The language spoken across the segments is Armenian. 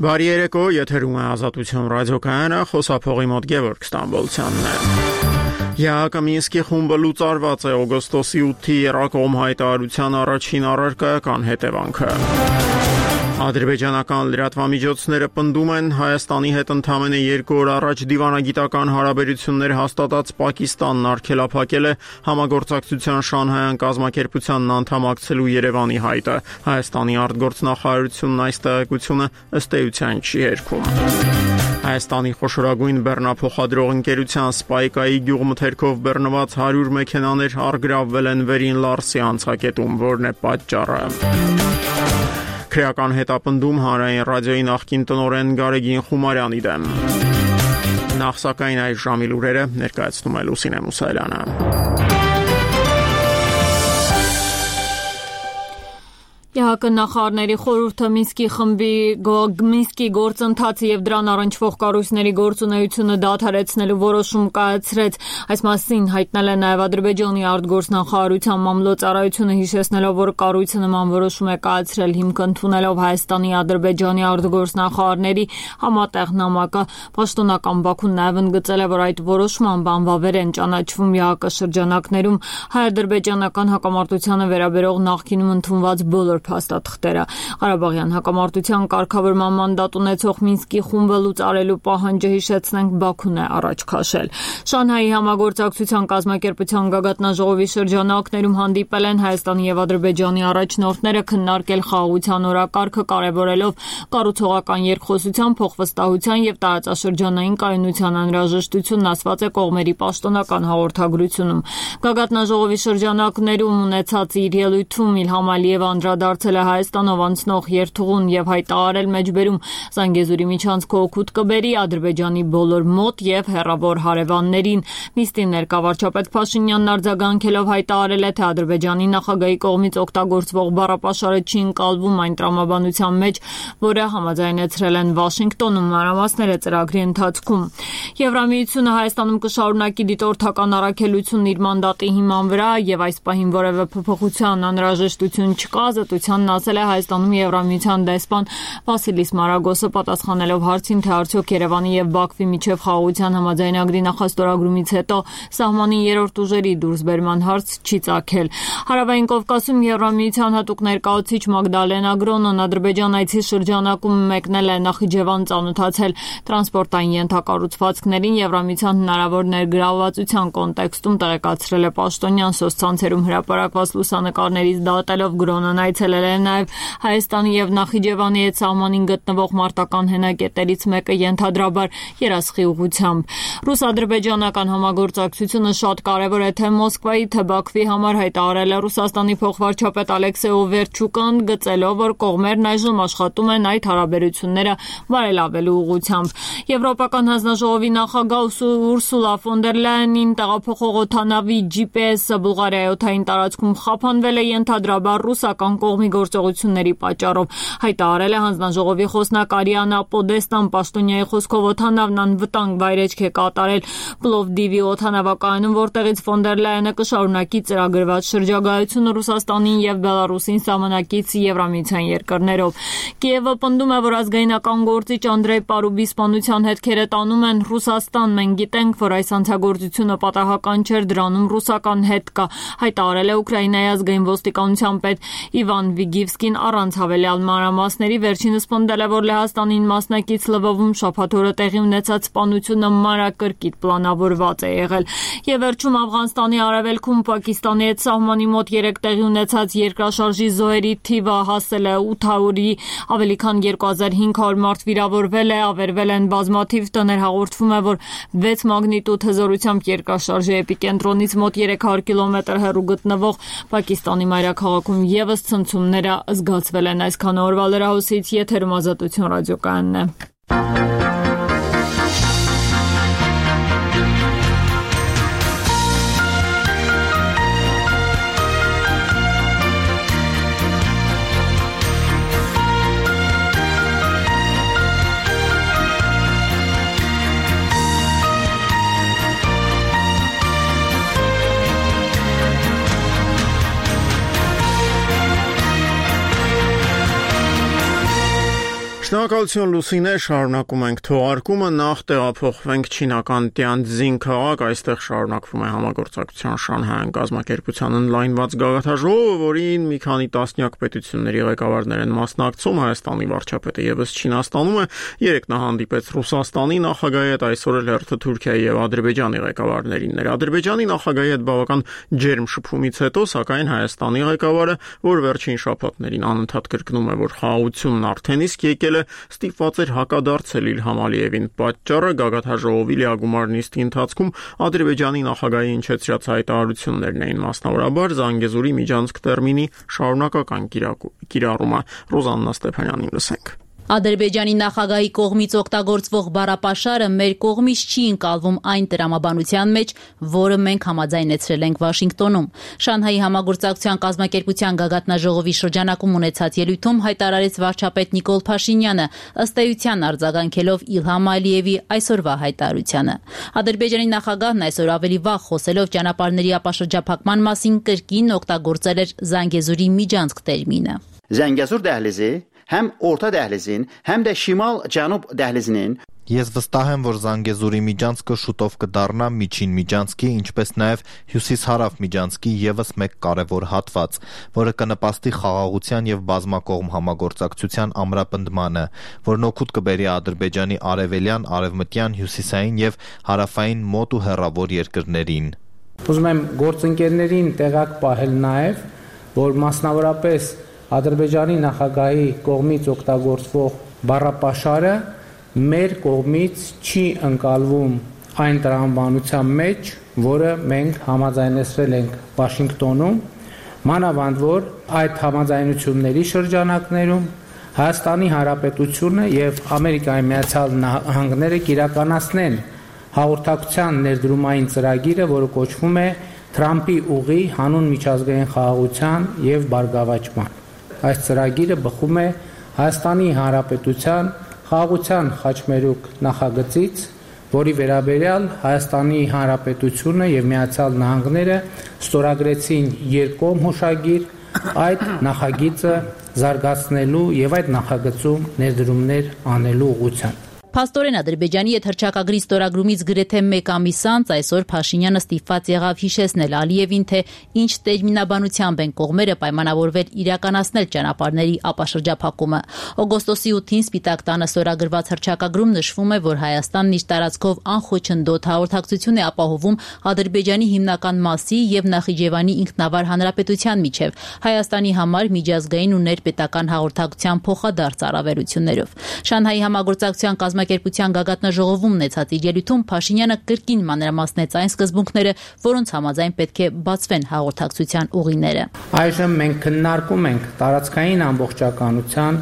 Բարի երեկո, եթերում է Ազատություն ռադիոկայանը, խոսափողի մոտ Գևորգ Ստամբոլցյանն է։ ԵԱՀԿ Մինսկի խումբը լուծարված է օգոստոսի 8-ի եռակողմ հայտարարության առաջին առարկայական հետևանքը։ Ադրբեջանական լրատվամիջոցները պնդում են Հայաստանի հետ ընդամենը 2 օր առաջ դիվանագիտական հարաբերություններ հաստատած Պակիստանն արգելափակել է համագործակցության շանհայական կազմակերպությանն անդամակցելու Երևանի հայտը։ Հայաստանի արտգործնախարարությունն այս տեղեկությունը ըստ էության չի հերքում։ Հայաստանի խոշորագույն բեռնափոխադրող ընկերության Սպայկայի գյուղմթերքով բեռնված 100 մեքենաներ առգրավվել են Վերին Լարսի անցակետում, որն է պատճառը։ Քրեական հետապնդում Հանրային ռադիոյի նախկին տնօրեն Գարեգին Խումարյանի դեմ։ Նախ սակայն այս ժամի լուրերը ներկայացնում է Լուսինե Մուսայելյանը։ ԵԱՀԿ նախարարների խորհուրդը Մինսկի գործընթացը եւ դրան առնչվող կառույցների գործունեությունը դադարեցնելու որոշում կայացրեց։ Այս մասին հայտնել է նաեւ Ադրբեջանի արտգործնախարարության մամլոյցարայությունը, հիշեցնելով, որ կառույցը նման որոշում է կայացրել հիմք ընդունելով Հայաստանի Ադրբեջանի արտգործնախարարների համատեղ նամակը։ Պաշտոնական Բաքուն նաեւ ընդգծել է, որ այդ որոշմամբ անվավեր են ճանաչվում ԵԱՀԿ շրջանակներում հայ-ադրբեջանական հակամարտությանը վերաբերող նախկինում ընդունված բոլոր փաստաթղթերը։ Ղարաբաղյան հակամարտության կարգավորման մանդատ ունեցող Մինսկի խումբը լուծարելու պահանջը, հիշեցնենք, Բաքուն է առաջ քաշել։ Շանհայի համագործակցության կազմակերպության գագաթնաժողովի շրջանակներում հանդիպել են Հայաստանի եւ Ադրբեջանի առաջնորդները, քննարկել խաղաղության օրակարգը, կարևորելով կառուցողական երկխոսության, փոխվստահության եւ տարածաշրջանային կայունության անհրաժեշտությունն, ասված է կողմերի պաշտոնական հաղորդագրությունում։ Գագաթնաժողովի շրջանակներում ունեցած իր ելույթում Իլհամ Ալիևը անդրադարձել է Հայաստանով անցնող երթուղուն եւ հայտարարել մեջբերում Զանգեզուրի միջանցքը օգուտ կբերի Ադրբեջանի բոլոր մոտ եւ հեռավոր հարևաններին։ Նիստին ներկա վարչապետ Փաշինյանն արձագանքելով հայտարարել է, թե Ադրբեջանի նախագահի կողմից օգտագործվող բառապաշարը չի ընկալվում այն տրամաբանության մեջ, որը համաձայնեցրել են Վաշինգտոնում, մանրամասները ծրագրի ընթացքում։ Եվրամիությունը Հայաստանում կշարունակի դիտորդական առաքելությունն իր մանդատի հիման վրա եւ այս պահին որևէ փոփոխության անհրաժեշտություն չկա, ազատությանն ասել է Հայաստանում Եվրամիության դեսպան Վասիլիս Մարագոսը, պատասխանելով հարցին, թե արդյոք Երևանի եւ Բաքվի միջև խաղաղության համաձայնագրի նախաստորագրումից հետո սահմանին երրորդ ուժերի դուրսբերման հարց չի ծագել։ Հարավային Կովկասում Եվրամիության հատուկ ներկայացուցիչ Մագդալենա Գրոնոն Ադրբեջան այցի շրջանակում մեկնել է Նախիջևան, ծանոթացել տրանսպորտային ենթակառուցվածքներին, Եվրամիության հնարավոր ներգրավվածության կոնտեքստում տեղեկացրել է պաշտոնյան սոցցանցերում հրապարակված լուսանկարներից դատելով Գրոնոն այցելել է նաև Հայաստանի եւ Նախիջևանի հետ սահմանին գտնվող մարտական հենակետերից մեկը, ենթադրաբար երասխի ուղղությամբ։ Ռուս-ադրբեջանական համագործակցությունը շատ կարևոր է թե Մոսկվայի, թե Բաքվի համար, հայտարարել է Ռուսաստանի փոխվարչապետ Ալեքսեյ Օվերչուկն, գծելով, որ կողմերն այժմ աշխատում են այդ հարաբերությունները բարելավելու ուղղությամբ։ Եվրոպական հանձնաժողովի նախագահ Ուրսուլա ֆոն դեր Լայենին տեղափոխող օդանավի GPS-ը Բուլղարիայի օդային տարածքում խափանվել է, ենթադրաբար ռուսական կողմի գործողությունների պատճառով, հայտարարել է հանձնաժողովի խոսնակ Արիանա Պոդեստան։ Պաշտոնյայի խոսքով օդանավն անվտանգ վայրեջք է կատարել Պլովդիվի օդանավակայանում, որտեղից ֆոն դեր Լայենը կշարունակի ծրագրված շրջագայությունը Ռուսաստանին եւ Բելարուսին սահմանակից Եվրամիության երկրներով։ Կիևը պնդում է, որ ազգայնական գործիչ Անդրեյ Պարուբի սպանության հետքերը տանում են Ռուսաստան։ Մենք գիտենք, որ այս հանցագործությունը պատահական չէր, դրանում ռուսական հետ կա, հայտարարել է Ուկրաինայի ազգային ոստիկանության պետ Իվան Վիգիվսկին առանց հավելյալ մանրամասների։ Վերջինս պնդել է, որ Լեհաստանին մասնակից Լվովում շաբաթ օրը տեղի ունեցած սպանությունը մանրակրկիտ պլանավորված է եղել։ Եվ վերջում Աֆղանստանի արևելքում Պակիստանի հետ սահմանի մոտ 3 տեղի ունեցած երկրաշարժի զոհերի թիվը հասել է 800-ի, ավելի քան 2500 մարդ վիրավորվել է, ավերվել են բազմաթիվ տներ։ Հաղորդվում է, որ 6 մագնիտուդ հզորությամբ երկրաշարժի էպիկենտրոնից մոտ 300 կիլոմետր հեռու գտնվող Պակիստանի մայրաքաղաքում եւս ցնցումները զգացվել են։ Այսքան օրվա լրահոսից եթերում Ազատություն ռադիոկայանն է։ Շնորհակալություն Լուսինե, շարունակում ենք թողարկումը, նախ տեղափոխվենք չինական Տյանձին քաղաք, այստեղ շարունակվում է համագործակցության շանհայական կազմակերպության ընդլայնված գագաթաժողովը, որին մի քանի տասնյակ պետությունների ղեկավարներ են մասնակցում, Հայաստանի վարչապետը ևս Չինաստանում է, երեկ նա հանդիպեց Ռուսաստանի նախագահի հետ, այսօր էլ հերթը Թուրքիայի եւ Ադրբեջանի ղեկավարներին էր։ Ադրբեջանի նախագահի հետ բավական ջերմ շփումից հետո, սակայն Հայաստանի ղեկավարը, որ վերջին շաբաթներին անընդհատ կրկնում է, որ խաղաղությունն արդեն իսկ եկել է, ստիպված էր հակադարձել Իլհամ Ալիևին։ Պատճառը գագաթաժողովի լիագումար նիստի ընթացքում Ադրբեջանի նախագահի հնչեցրած հայտարարություններն էին, մասնավորաբար Զանգեզուրի միջանցք տերմինի շարունակական կիրառումը։ Ռոզաննա Ստեփանյանին լսենք։ Ադրբեջանի նախագահի կողմից օգտագործվող բառապաշարը մեր կողմից չի ընկալվում այն տրամաբանության մեջ, որը մենք համաձայնեցրել ենք Վաշինգտոնում։ Շանհայի համագործակցության կազմակերպության գագաթնաժողովի շրջանակում ունեցած ելույթում հայտարարեց վարչապետ Նիկոլ Փաշինյանը, ըստ էության արձագանքելով Իլհամ Ալիևի այսօրվա հայտարարությանը։ Ադրբեջանի նախագահն այսօր ավելի վաղ խոսելով ճանապարհների ապաշրջափակման մասին կրկին օգտագործել էր Զանգեզուրի միջանցք տերմինը։ Զանգեզուր դահլիզի Həm orta dəhlizin, həm də şimal-cənub dəhlizinin Ես վստահ եմ, որ Զանգեզուրի միջանցքը շուտով կդառնա միջին միջանցքի, ինչպես նաև հյուսիս-հարավ միջանցքի ևս մեկ կարևոր հատված, որը կնպաստի խաղաղության եւ բազմակողմ համագործակցության ամրապնդմանը, որն օգուտ կբերի Ադրբեջանի արևելյան, արևմտյան, հյուսիսային եւ հարավային մոտ ու հեռավոր երկրներին։ Ուզում եմ գործընկերներին տեղակ պահել նաև, որ մասնավորապես Ադրբեջանի նախագահի կողմից օգտագործվող բառապաշարը մեր կողմից չի ընկալվում այն տրամաբանության մեջ, որը մենք համաձայնեցրել ենք Վաշինգտոնում, մանավանդ որ այդ համաձայնությունների շրջանակներում Հայաստանի Հանրապետությունը եւ Ամերիկայի Միացյալ Նահանգները կիրականացնեն հաղորդակցության ներդրումային ծրագիրը, որը կոչվում է Թրամփի ուղի հանուն միջազգային խաղաղության եւ բարգավաճման։ Այս ծրագիրը բխում է Հայաստանի Հանրապետության խաղաղության խաչմերուկ նախագծից, որի վերաբերյալ Հայաստանի Հանրապետությունը եւ Միացյալ Նահանգները ստորագրեցին երկկողմ հուշագիր այդ նախագիծը զարգացնելու եւ այդ նախագծում ներդրումներ անելու ուղղությամբ։ Փաստորեն Ադրբեջանի հետ հռչակագրի ստորագրումից գրեթե մեկ ամիս անց այսօր Փաշինյանը ստիպված եղավ հիշեցնել Ալիևին, թե ինչ տերմինաբանությամբ են կողմերը պայմանավորվել իրականացնել ճանապարհների ապաշրջափակումը։ Օգոստոսի 8-ին Սպիտակ տանը ստորագրված հռչակագրում նշվում է, որ Հայաստանն իր տարածքով անխոչնդոտ հաղորդակցություն է ապահովում Ադրբեջանի հիմնական մասի եւ Նախիջևանի ինքնավար հանրապետության միջև Հայաստանի համար միջազգային ու ներպետական հաղորդակցության փոխադարձ առավելություններով։ Շանհայի համագործակցության կազմակերպության գագաթնաժողովում ունեցած իր ելույթում Փաշինյանը կրկին մանրամասնեց այն սկզբունքները, որոնց համաձայն պետք է բացվեն հաղորդակցության ուղիները։ Այժմ մենք քննարկում ենք տարածքային ամբողջականության,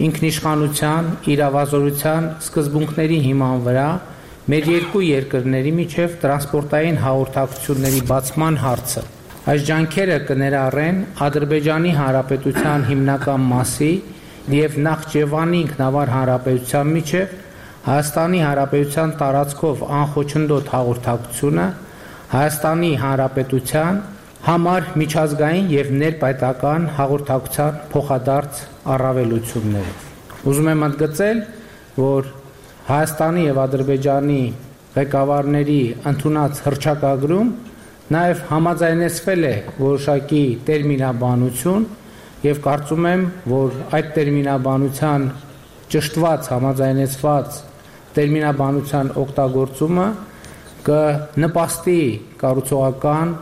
ինքնիշխանության, իրավազորության սկզբունքների հիման վրա մեր երկու երկրների միջև տրանսպորտային հաղորդակցությունների բացման հարցը։ Այս ջանքերը կներառեն Ադրբեջանի Հանրապետության հիմնական մասի եւ Նախիջևանի ինքնավար հանրապետության միջև Հայաստանի Հանրապետության տարածքով անխոչնդոտ հաղորդակցությունը, Հայաստանի Հանրապետության համար միջազգային եւ ներպետական հաղորդակցության փոխադարձ առավելությունները։ Ուզում եմ ընդգծել, որ Հայաստանի եւ Ադրբեջանի ղեկավարների ընդունած հռչակագրում նաեւ համաձայնեցվել է որոշակի տերմինաբանություն եւ կարծում եմ, որ այդ տերմինաբանության ճշտված համաձայնեցված տերմինաբանության օգտագործումը կնպաստի կառուցողական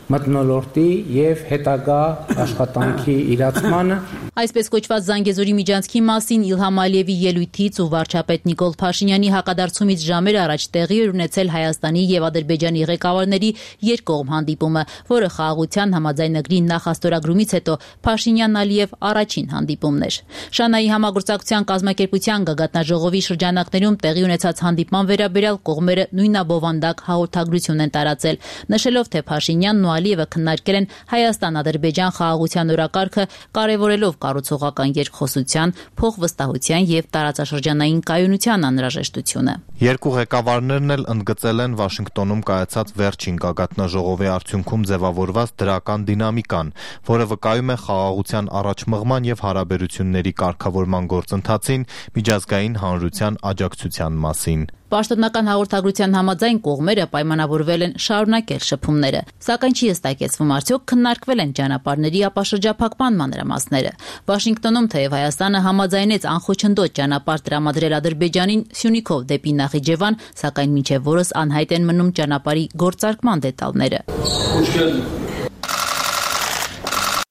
մթնոլորտի եւ հետագա աշխատանքի իրացմանը։ Այսպես կոչված Զանգեզուրի միջանցքի մասին Իլհամ Ալիևի ելույթից ու վարչապետ Նիկոլ Փաշինյանի հակադարձումից ժամեր առաջ տեղի էր ունեցել Հայաստանի եւ Ադրբեջանի ղեկավարների երկկողմ հանդիպումը, որը խաղաղության համաձայնագրի նախաստորագրումից հետո Փաշինյան-Ալիև առաջին հանդիպումն էր։ Շանհայի համագործակցության կազմակերպության գագաթնաժողովի շրջանակներում տեղի ունեցած հանդիպման վերաբերյալ կողմերը նույնաբովանդակ հաղորդագրություն են տարածել, նշելով, թե Փաշինյանն ու Ալիևը քննարկել են Հայաստան-Ադրբեջան խաղաղության օրակարգը, կարևորելով կառուցողական երկխոսության, փոխվստահության եւ տարածաշրջանային կայունության անհրաժեշտությունը։ Երկու ղեկավարներն էլ ընդգծել են Վաշինգտոնում կայացած վերջին գագաթնաժողովի արդյունքում ձևավորված դրական դինամիկան, որը վկայում է խաղաղության առաջմղման եւ հարաբերությունների կարգավորման գործընթացին միջազգային հանրության աջակցության մասին։ Պաշտոնական հաղորդագրության համաձայն կողմերը պայմանավորվել են շարունակել շփումները, սակայն չի հստակեցվում արդյոք քննարկվել են ճանապարհների ապաշրջափակման մանրամասները։ Վաշինգտոնում թեև Հայաստանը համաձայնեց անխոչնդոտ ճանապարհ տրամադրել Ադրբեջանին Սյունիքով դեպի Նախիջևան, սակայն մինչև օրս անհայտ են մնում ճանապարհի գործարկման դետալները։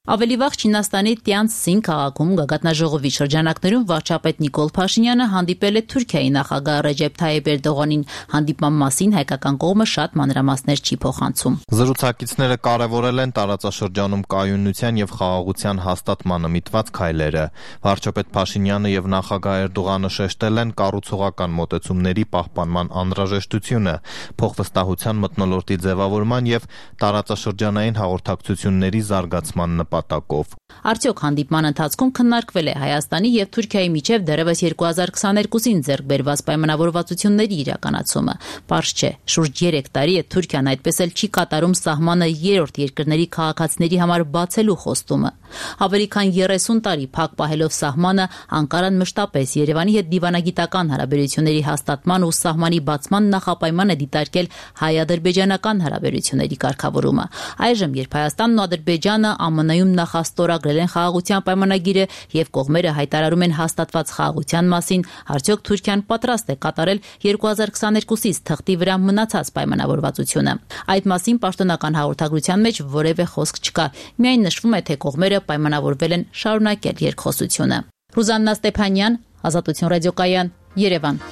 Ավելի վաղ Չինաստանի Տյանցին քաղաքում գագաթնաժողովի շրջանակներում վարչապետ Նիկոլ Փաշինյանը հանդիպել է Թուրքիայի նախագահ Ռեջեփ Թայիփ Էրդողանին։ Հանդիպման մասին հայկական կողմը շատ մանրամասներ չի փոխանցում։ Զրուցակիցները կարևորել են տարածաշրջանում կայունության եւ խաղաղության հաստատմանը միտված քայլերը։ Վարչապետ Փաշինյանը եւ նախագահ Էրդողանը շեշտել են կառուցողական մոտեցումների պահպանման անհրաժեշտությունը, փոխվստահության մթնոլորտի ձևավորման եւ տարածաշրջանային հաղորդակցությունների զարգացման նպատակով։ Արդյոք հանդիպման ընթացքում քննարկվել է Հայաստանի եւ Թուրքիայի միջև դեռևս 2022-ին ձեռք բերված պայմանավորվածությունների իրականացումը։ Պարզ չէ, շուրջ 3 տարի է Թուրքիան այդպես էլ չի կատարում սահմանը երրորդ երկրների քաղաքացիների համար բացելու խոստումը։ Ավելի քան 30 տարի փակ պահելով սահմանը, Անկարան մշտապես Երևանի հետ դիվանագիտական հարաբերությունների հաստատման ու սահմանի բացման նախապայման է դիտարկել հայ-ադրբեջանական հարաբերությունների կարգավորումը։ Այժմ, երբ Հայաստանն ու Ադրբեջանը ԱՄՆ-ում նախաստորագրել են խաղաղության պայմանագիրը եւ կողմերը հայտարարում են հաստատված խաղաղության մասին, արդյոք Թուրքիան պատրաստ է կատարել 2022-ից թղթի վրա մնացած պայմանավորվածությունը։ Այդ մասին պաշտոնական հաղորդագրության մեջ որևէ խոսք չկա։ Միայն նշվում է, թե կողմերը պայմանավորվել են շարունակել երկխոսությունը։ Ռուզաննա Ստեփանյան, Ազատություն ռադիոկայան, Երևան։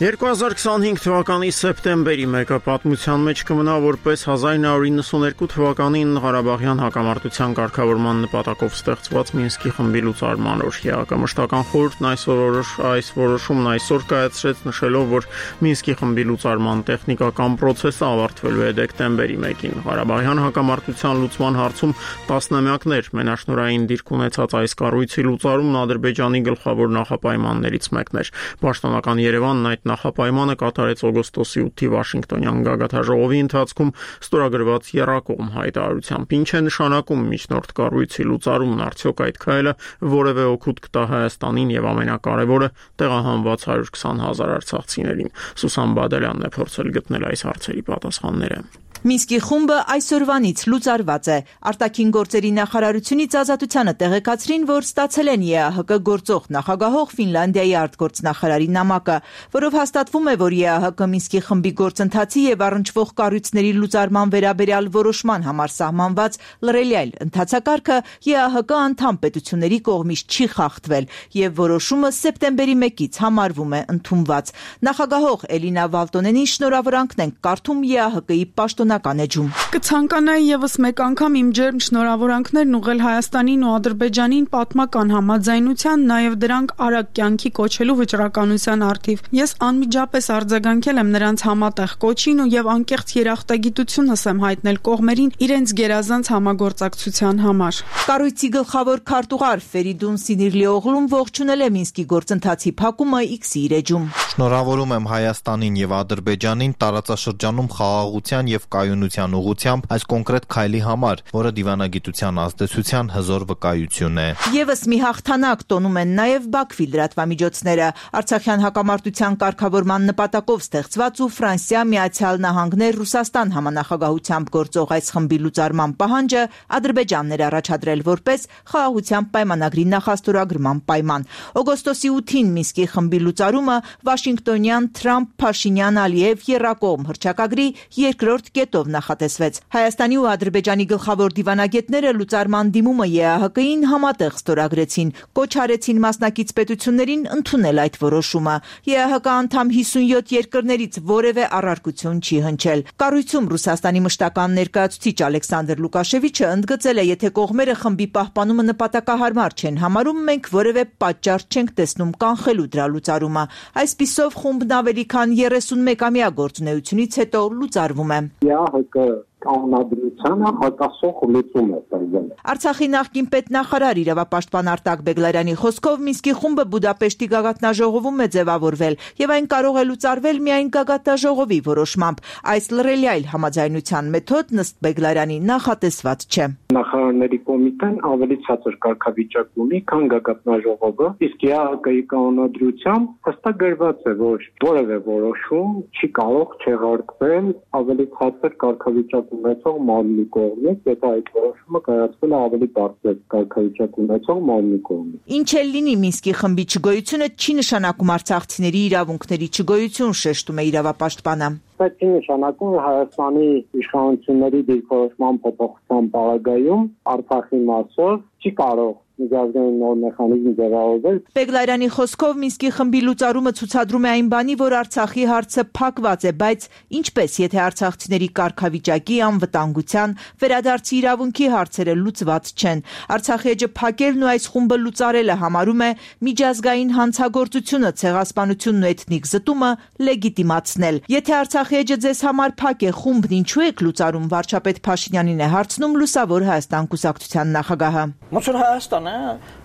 2025 թվականի սեպտեմբերի 1-ը պատմության մեջ կմնա որպես 1992 թվականին Ղարաբաղյան հակամարտության կարգավորման նպատակով ստեղծված Մինսկի խմբի լուծարման օր։ Հակամշտական խորհուրդն այս որոշումն այսօր կայացրեց, նշելով, որ Մինսկի խմբի լուծարման տեխնիկական process-ը ավարտվելու է դեկտեմբերի 1-ին։ Ղարաբաղյան հակամարտության լուծման հարցում տասնամյակներ մենաշնորհային դիրք ունեցած այս կառույցի լուծարումն Ադրբեջանի գլխավոր նախապայմաններից մեկն էր։ Պաշտոնական Երևանն այդ նախապայմանը կատարեց օգոստոսի 8-ի Վաշինգտոնյան գագաթնաժողովի ընթացքում ստորագրված եռակողմ հայտարարությամբ։ Ինչ է նշանակում միջնորդ կառույցի լուծարումն, արդյոք այդ քայլը որևէ օգուտ կտա Հայաստանին եւ ամենակարևորը տեղահանված 120,000 արցախցիներին։ Սուսան Բադալյանն է փորձել գտնել այս հարցերի պատասխանները։ Մինսկի խումբը այսօրվանից լուծարված է։ Արտաքին գործերի նախարարությունից Ազատությանը տեղեկացրին, որ ստացել են ԵԱՀԿ գործող նախագահող Ֆինլանդիայի արտգործնախարարի նամակը, որով հաստատվում է, որ ԵԱՀԿ Մինսկի խմբի գործընթացի եւ առնչվող կառույցների լուծարման վերաբերյալ որոշման համար սահմանված լրելյալ ընթացակարգը ԵԱՀԿ անդամ պետությունների կողմից չի խախտվել եւ որոշումը սեպտեմբերի 1-ից համարվում է ընդունված։ Նախագահող Էլինա Վալտոնենին շնորհավորանքն են կարդում ԵԱՀԿ-ի պաշտոնական էջում։ Կցանկանայի եւս մեկ անգամ իմ ջերմ շնորհավորանքներն ուղղել Հայաստանին ու Ադրբեջանին պատմական համաձայնության, նաեւ դրանք արագ կյանքի կոչելու վճռականության առթիվ։ Ես անմիջապես արձագանքել եմ նրանց համատեղ կոչին եւ անկեղծ երախտագիտությունս եմ հայտնել կողմերին իրենց գերազանց համագործակցության համար։ Կառույցի գլխավոր քարտուղար Ֆերիդուն Սինիրլիօղլուն ողջունել է Մինսկի գործընթացի փակումը X-ի իր էջում։ Շնորհավորում եմ Հայաստանին եւ Ադրբեջանին տարածաշրջանում խաղաղության եւ կայունության ուղղությամբ այս կոնկրետ քայլի համար, որը դիվանագիտության ազդեցության հզոր վկայություն է։ Եվս մի հաղթանակ տոնում են նաեւ Բաքվի լրատվամիջոցները։ Արցախյան հակամարտության կարգավորման նպատակով ստեղծված ու Ֆրանսիա, Միացյալ Նահանգներ, Ռուսաստան համանախագահությամբ գործող այս խմբի լուծարման պահանջը Ադրբեջանն էր առաջադրել որպես խաղաղության պայմանագրի նախաստորագրման պայման։ Օգոստոսի 8-ին Մինսկի խմբի լուծարումը Վաշինգտոնյան Թրամփ-Փաշինյան-Ալիև եռակողմ հռչակագրի երկրորդ կետ շերտով նախատեսվեց։ Հայաստանի ու Ադրբեջանի գլխավոր դիվանագետները լուծարման դիմումը ԵԱՀԿ-ին համատեղ ստորագրեցին, կոչ արեցին մասնակից պետություններին ընդունել այդ որոշումը։ ԵԱՀԿ անդամ 57 երկրներից որևէ առարկություն չի հնչել։ Կառույցում Ռուսաստանի մշտական ներկայացուցիչ Ալեքսանդր Լուկաշևիչը ընդգծել է, եթե կողմերը խմբի պահպանումը նպատակահարմար չեն համարում, մենք որևէ պատճառ չենք տեսնում կանխելու դրա լուծարումը։ Այսպիսով խումբն ավելի քան 31-ամյա գործունեությունից հետո լուծարվում է։ ԵԱՀԿ կանոնադրությանը հակասող լուծում է տրվել։ Արցախի նախկին պետնախարար իրավապաշտպան Արտակ Բեգլարյանի խոսքով Մինսկի խումբը Բուդապեշտի գագաթնաժողովում է ձևավորվել եւ այն կարող է լուծարվել միայն գագաթնաժողովի որոշմամբ։ Այս լրելյայլ համաձայնության մեթոդ ըստ Բեգլարյանի նախատեսված չէ։ Նախարարների կոմիտեն ավելի ցածր կարգավիճակ ունի, քան գագաթնաժողովը, իսկ ԵԱՀԿ-ի կանոնադրությամբ հստակագրված է, որ որևէ որոշում չի կարող չեղարկվել ավելի ցածր կարգավիճակ ունեցող մարմնի կողմից, եթե այդ որոշումը կայացվել է ավելի բարձր կարգավիճակ ունեցող մարմնի կողմից։ Ինչ էլ լինի, Մինսկի խմբի չգոյությունը չի նշանակում արցախցիների իրավունքների չգոյություն, շեշտում է իրավապաշտպանը։ Դա չի նշանակում, որ Հայաստանի իշխանությունների դիրքորոշման փոփոխության պարագայում Արցախի մասով չի կարող միջազգային նոր մեխանիզմ ձևավորվել։ Բեգլարյանի խոսքով Մինսկի խմբի լուծարումը ցուցադրում է այն բանի, որ Արցախի հարցը փակված է, բայց ինչպես, եթե արցախցիների կարգավիճակի, անվտանգության, վերադարձի իրավունքի հարցերը լուծված չեն։ Արցախի էջը փակելն ու այս խումբը լուծարելը համարում է միջազգային հանցագործությունը, ցեղասպանությունն ու էթնիկ զտումը լեգիտիմացնել։ Եթե Արցախի էջը ձեզ համար փակ է, խումբն ինչու եք լուծարում, վարչապետ Փաշինյանին է հարցնում Լուսավոր Հայաստան կուսակցության նախագահը։ Ոնց որ Հայաստանը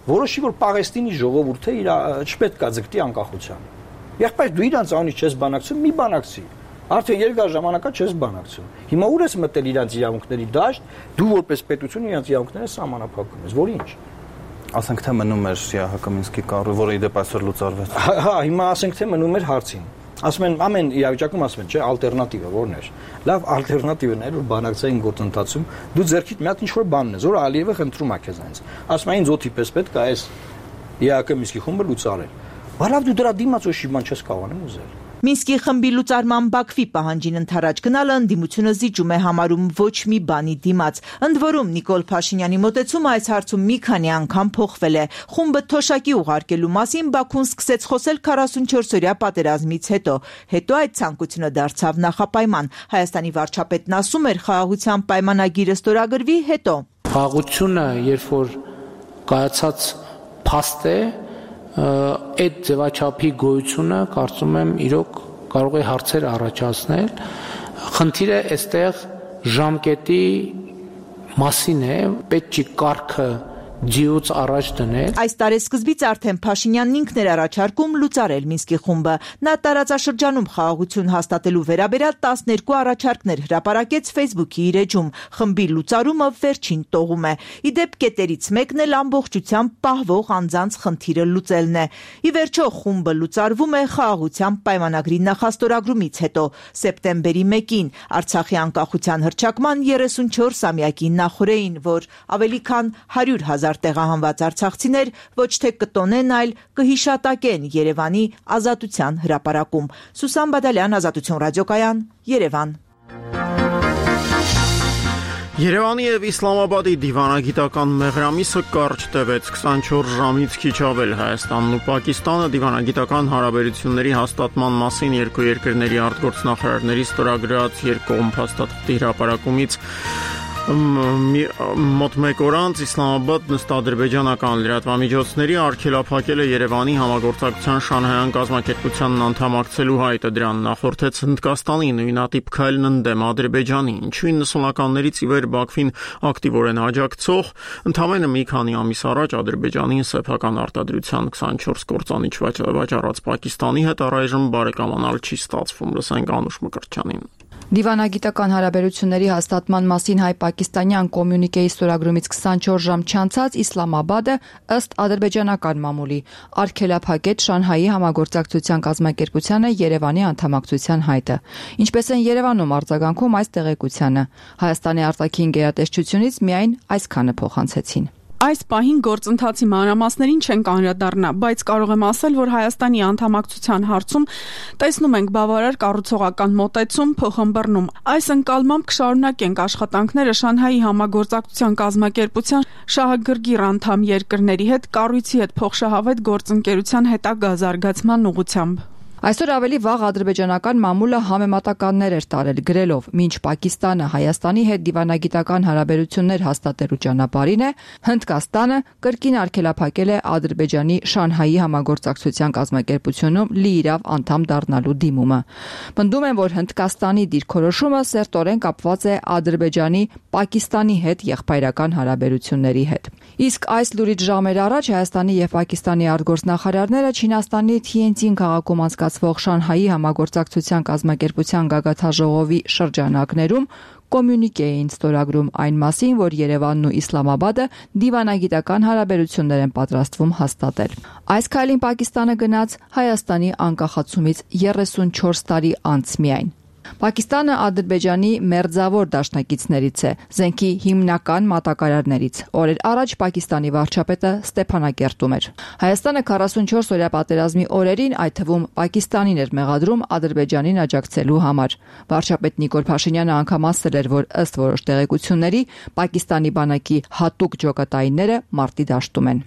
որոշի, որ Պաղեստինի ժողովուրդը իր չպետք է ձգտի անկախության։ Եղբայր դու իրանց անունից չես բանակցում, մի բանակցի։ Արդեն երկար ժամանակա չես բանակցում։ Հիմա ուր ես մտել իրանց իրավունքների դաշտ, դու որպես պետություն իրանց իրավունքները սահմանափակում ես, որ ինչ։ Ասենք թե մնում էր ԵԱՀԿ Մինսկի կառույցը, որը իդեպ այսօր լուծարվեց։ Հա, հիմա ասենք թե մնում էր հարցին։ Ասում են ամեն իրավիճակում ասում են, չէ, ալտերնատիվը որն էր։ Լավ, ալտերնատիվն էր, որ բանակցային գործընթացում դու ձեռքիդ մի հատ ինչ-որ բանն ես, որ Ալիևը խնդրում է քեզանից։ Ասում են ինձ օթի պես պետք է այս ԵԱՀԿ Մինսկի խումբը լուծարել։ Բա լավ, դու դրա դիմաց ոչ մի բան չես կարողանում ուզել։ Մինսկի խմբի լուծարման Բաքվի պահանջին ընդառաջ գնալը ընդդիմությունը զիջում է համարում ոչ մի բանի դիմաց։ Ընդ որում Նիկոլ Փաշինյանի մոտեցումը այս հարցում մի քանի անգամ փոխվել է։ Խումբը թոշակի ուղարկելու մասին Բաքուն սկսեց խոսել 44-օրյա պատերազմից հետո այդ ցանկությունը դարձավ նախապայման։ Հայաստանի վարչապետն ասում էր, խաղաղության պայմանագիրը ստորագրվի հետո։ Խաղաղությունը, երբ որ կայացած փաստ է, այդ ձևաչափի գոյությունը կարծում եմ իրոք կարող է հարցեր առաջացնել։ Խնդիրը այստեղ ժամկետի մասին է, պետք չի կարգը ջիուց առաջ դնել։ Այս տարեսկզբից արդեն Փաշինյանն ինքն էր առաջարկում լուծարել Մինսկի խումբը։ Նա տարածաշրջանում խաղաղություն հաստատելու վերաբերյալ 12 առաջարկներ հրապարակեց Facebook-ի իր էջում։ Խմբի լուծարումը վերջին տողում է։ Իդեպ կետերից մեկն էլ ամբողջությամբ պահվող անձանց խնդիրը լուծելն է։ Ի վերջո խումբը լուծարվում է խաղաղության պայմանագրի նախաստորագրումից հետո սեպտեմբերի 1-ին Արցախի անկախության հռչակման 34-ամյակի նախօրեին, որ ավելի քան 100,000 տեղահանված արցախցիներ ոչ թե կտոնեն, այլ կհիշատակեն Երևանի Ազատության հրապարակում։ Սուսան Բադալյան, Ազատություն ռադիոկայան, Երևան։ Երևանի եւ Իսլամաբադի դիվանագիտական մեղրամիսը կարճ տևեց 24 ժամից քիչ ավել։ Հայաստանն ու Պակիստանը դիվանագիտական հարաբերությունների հաստատման մասին երկու երկրների արտգործնախարարների ստորագրած երկկողմ փաստաթղթի հրապարակումից մոտ մեկ օր անց Իսլամաբադ նստադրբեջանական լրատվամիջոցների արգելափակել է Երևանի համագործակցության Շանհայական կազմակերպությանն անդամակցելու հայտը։ Դրան նախորդեց Հնդկաստանի նույնատիպ քայլն ընդդեմ Ադրբեջանի, ինչու 90-ականներից ի վեր Բաքվին ակտիվորեն աջակցող, ընդամենը մի քանի ամիս առաջ Ադրբեջանին սեփական արտադրության 24 կործանիչ վաճառած Պակիստանի հետ առայժմ բարեկամանալ չի ստացվում։ Լսենք Անուշ Մկրտչյանին։ Դիվանագիտական հարաբերությունների հաստատման մասին հայ-պակիստանյան կոմյունիկեի ստորագրումից 24 ժամ չանցած Իսլամաբադը ըստ ադրբեջանական մամուլի արգելափակեց Շանհայի համագործակցության կազմակերպությանը Երևանի անդամակցության հայտը։ Ինչպես են Երևանում արձագանքում այս տեղեկությանը, Հայաստանի արտաքին գերատեսչությունից միայն այսքանը փոխանցեցին։ Այս պահին գործընթացի մանրամասներին չենք անդրադառնա, բայց կարող եմ ասել, որ Հայաստանի անդամակցության հարցում տեսնում ենք բավարար կառուցողական մոտեցում, փոխըմբռնում։ Այս ընկալմամբ կշարունակենք աշխատանքները Շանհայի համագործակցության կազմակերպության շահագրգիռ անդամ երկրների հետ կառույցի հետ փոխշահավետ գործընկերության հետագա զարգացման ուղղությամբ։ Այսօր ավելի վաղ ադրբեջանական մամուլը համեմատականներ էր տարել գրելով. «Մինչ Պակիստանը Հայաստանի հետ դիվանագիտական հարաբերություններ հաստատելու ճանապարհին է, Հնդկաստանը կրկին արգելափակել է Ադրբեջանի Շանհայի համագործակցության կազմակերպությունում լիիրավ անդամ դառնալու դիմումը»։ Պնդում են, որ Հնդկաստանի դիրքորոշումը սերտորեն կապված է Ադրբեջանի Պակիստանի հետ եղբայրական հարաբերությունների հետ։ Իսկ այս լուրից ժամեր առաջ Հայաստանի եւ Պակիստանի արտգործնախարարները Չինաստանի Թիենցին քաղաքում անցկացվող Շանհայի համագործակցության կազմակերպության գագաթնաժողովի շրջանակներում կոմյունիկե էին ստորագրում այն մասին, որ Երևանն ու Իսլամաբադը դիվանագիտական հարաբերություններ են պատրաստվում հաստատել։ Այս քայլին Պակիստանը գնաց Հայաստանի անկախացումից 34 տարի անց միայն։ Պակիստանը Ադրբեջանի մերձավոր դաշնակիցներից է, զենքի հիմնական մատակարարներից։ Օրեր առաջ Պակիստանի վարչապետը Ստեփանակերտում էր։ Հայաստանը 44-օրյա պատերազմի օրերին, այդ թվում Պակիստանին էր մեղադրում Ադրբեջանին աջակցելու համար։ Վարչապետ Նիկոլ Փաշինյանը անգամ ասել էր, որ ըստ որոշ տեղեկությունների Պակիստանի բանակի հատուկ ջոկատայինները մարտի դաշտում են։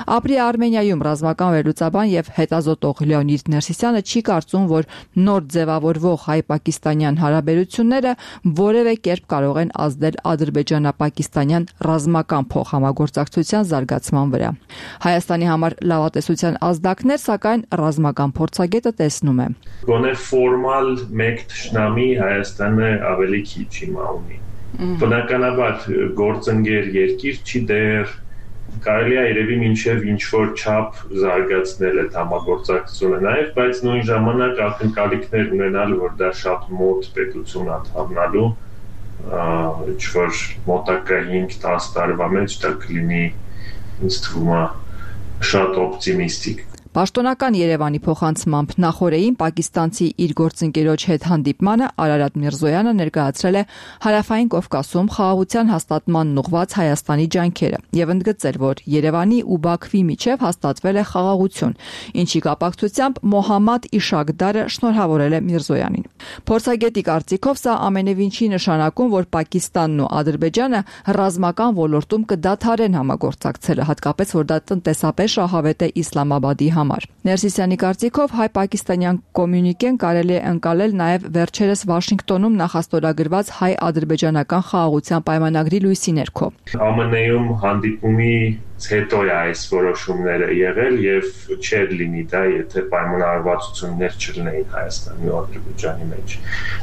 Ապրի Արմենիայում ռազմական վերլուծաբան եւ հետազոտող Լեոնիդ Ներսիսյանը չի կարծում, որ նոր ձևավորվող հայ-պակիստանյան հարաբերությունները որևէ կերպ կարող են ազդել ադրբեջանա-պակիստանյան ռազմական փոխհամագործակցության զարգացման վրա։ Հայաստանի համար լավատեսության ազդակներ, սակայն ռազմական փորձագետը տեսնում է։ Գոնե ֆորմալ մեկ թշնամի Հայաստանը ավելի քիչ հիմա ունի։ Բնականաբար գործընկեր երկիր չի դեռ կարելի է երևի մինչև ինչ-որ չափ զարգացնել այդ համագործակցությունը նաև, բայց նույն ժամանակ ակնկալիքներ ունենալ, որ դա շատ մոտ պետություն անդամնալու, ինչ-որ մոտակա 5-10 տարվա մեջ դա կլինի, ինձ թվում է, շատ օպտիմիստիկ։ Պաշտոնական Երևանի փոխանցմամբ նախորդին պակիստանցի իր գործընկերոջ հետ հանդիպմանը Արարատ Միրզոյանը ներկայացրել է Հարավային Կովկասում խաղաղության հաստատման ուղղված Հայաստանի ջանքերը եւ ընդգծել, որ Երևանի ու Բաքվի միջև հաստատվել է խաղաղություն, ինչի կապակցությամբ Մոհամմադ Իշակդարը շնորհավորել է Միրզոյանին։ Փորձագետի կարծիքով սա ամենևին չի նշանակում, որ Պակիստանն ու Ադրբեջանը ռազմական ոլորտում կդադարեն համագործակցելը, հատկապես որ դա տնտեսապես շահավետ է Իսլամաբադի համար։ Ներսիսյանի կարծիքով հայ-պակիստանյան կոմյունիկեն կարելի է ընկալել նաև վերջերս Վաշինգտոնում նախաստորագրված հայ-ադրբեջանական խաղաղության պայմանագրի լույսի ներքո։ ԱՄՆ-ում հանդիպումից հետո է այս որոշումները եղել եւ չէր լինի դա, եթե պայմանավորվածություններ չլինեին Հայաստանի ու Ադրբեջանի մեջ։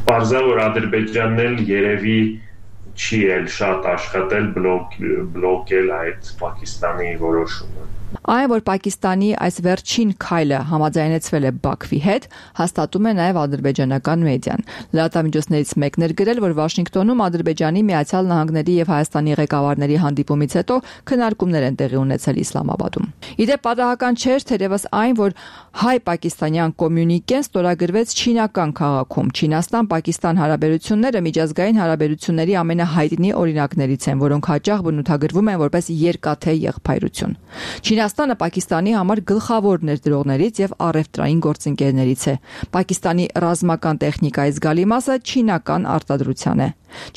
Պարզա որ Ադրբեջանն էլ երևի չի էլ շատ աշխատել բլոկել այդ Պակիստանի որոշումը։ Այն, որ Պակիստանի այս վերջին քայլը համաձայնեցվել է Բաքվի հետ, հաստատում է նաև ադրբեջանական մեդիան։ Լրատվամիջոցներից մեկն էր գրել, որ Վաշինգտոնում Ադրբեջանի, Միացյալ Նահանգների եւ Հայաստանի ղեկավարների հանդիպումից հետո քննարկումներ են տեղի ունեցել Իսլամաբադում։ Իդեպ պատահական չէր թերևս այն, որ հայ-պակիստանյան կոմյունիկեն ստորագրվեց չինական քաղաքում։ Չինաստան-Պակիստան հարաբերությունները միջազգային հարաբերությունների ամենահայտնի օրինակներից են, որոնք հաճախ բնութագրվում են որպես երկաթե եղբայրություն։ Չինաստանը Պակիստանի համար գլխավոր ներդրողներից եւ առևտրային գործընկերներից է։ Պակիստանի ռազմական տեխնիկայի զգալի մասը չինական արտադրության է։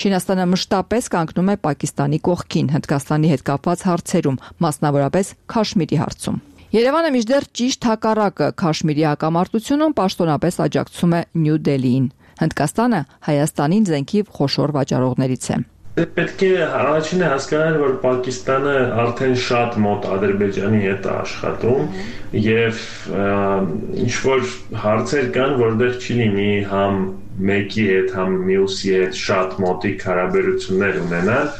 Չինաստանը մշտապես կանգնում է Պակիստանի կողքին Հնդկաստանի հետ կապված հարցերում, մասնավորապես Քաշմիրի հարցում։ Երևանը մինչդեռ ճիշտ հակառակը Քաշմիրի հակամարտությունում պաշտոնապես աջակցում է Նյու Դելիին։ Հնդկաստանը Հայաստանին զենքի խոշոր վաճառողներից է։ Պետք է առաջինը հասկանալ, որ Պակիստանը արդեն շատ մոտ Ադրբեջանի հետ է աշխատում եւ ինչ-որ հարցեր կան, որտեղ չի լինի համ մեկի հետ, համ մյուսի հետ շատ մոտիկ հարաբերություններ ունենալ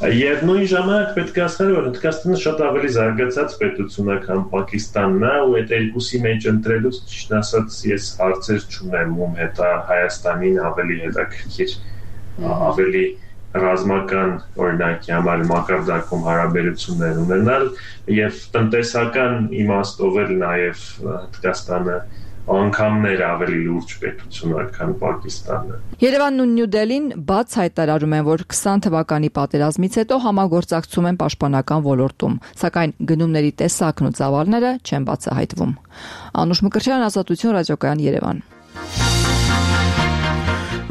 եւ նույն ժամանակ պետք է հասկանալ, որ Հնդկաստանը շատ ավելի զարգացած պետություն է, քան Պակիստանն է ու այդ երկուսի մեջ ընտրելուց ճիշտ ասած ես հարցեր չունեմ, ում հետ է Հայաստանին ավելի հետաքրքիր, ավելի ռազմական օրինակի համար մակարդակում հարաբերություններ ունենալ եւ տնտեսական իմաստով էլ նաեւ Հնդկաստանը անգամներ ավելի լուրջ պետություն է, քան Պակիստանը։ Երևանն ու Նյու Դելին բաց հայտարարում են, որ 20 թվականի պատերազմից հետո համագործակցում են պաշտպանական ոլորտում, սակայն գնումների տեսակն ու ծավալները չեն բացահայտվում։ Անուշ Մկրտչյան, Ազատություն, ռադիոկայան, Երևան։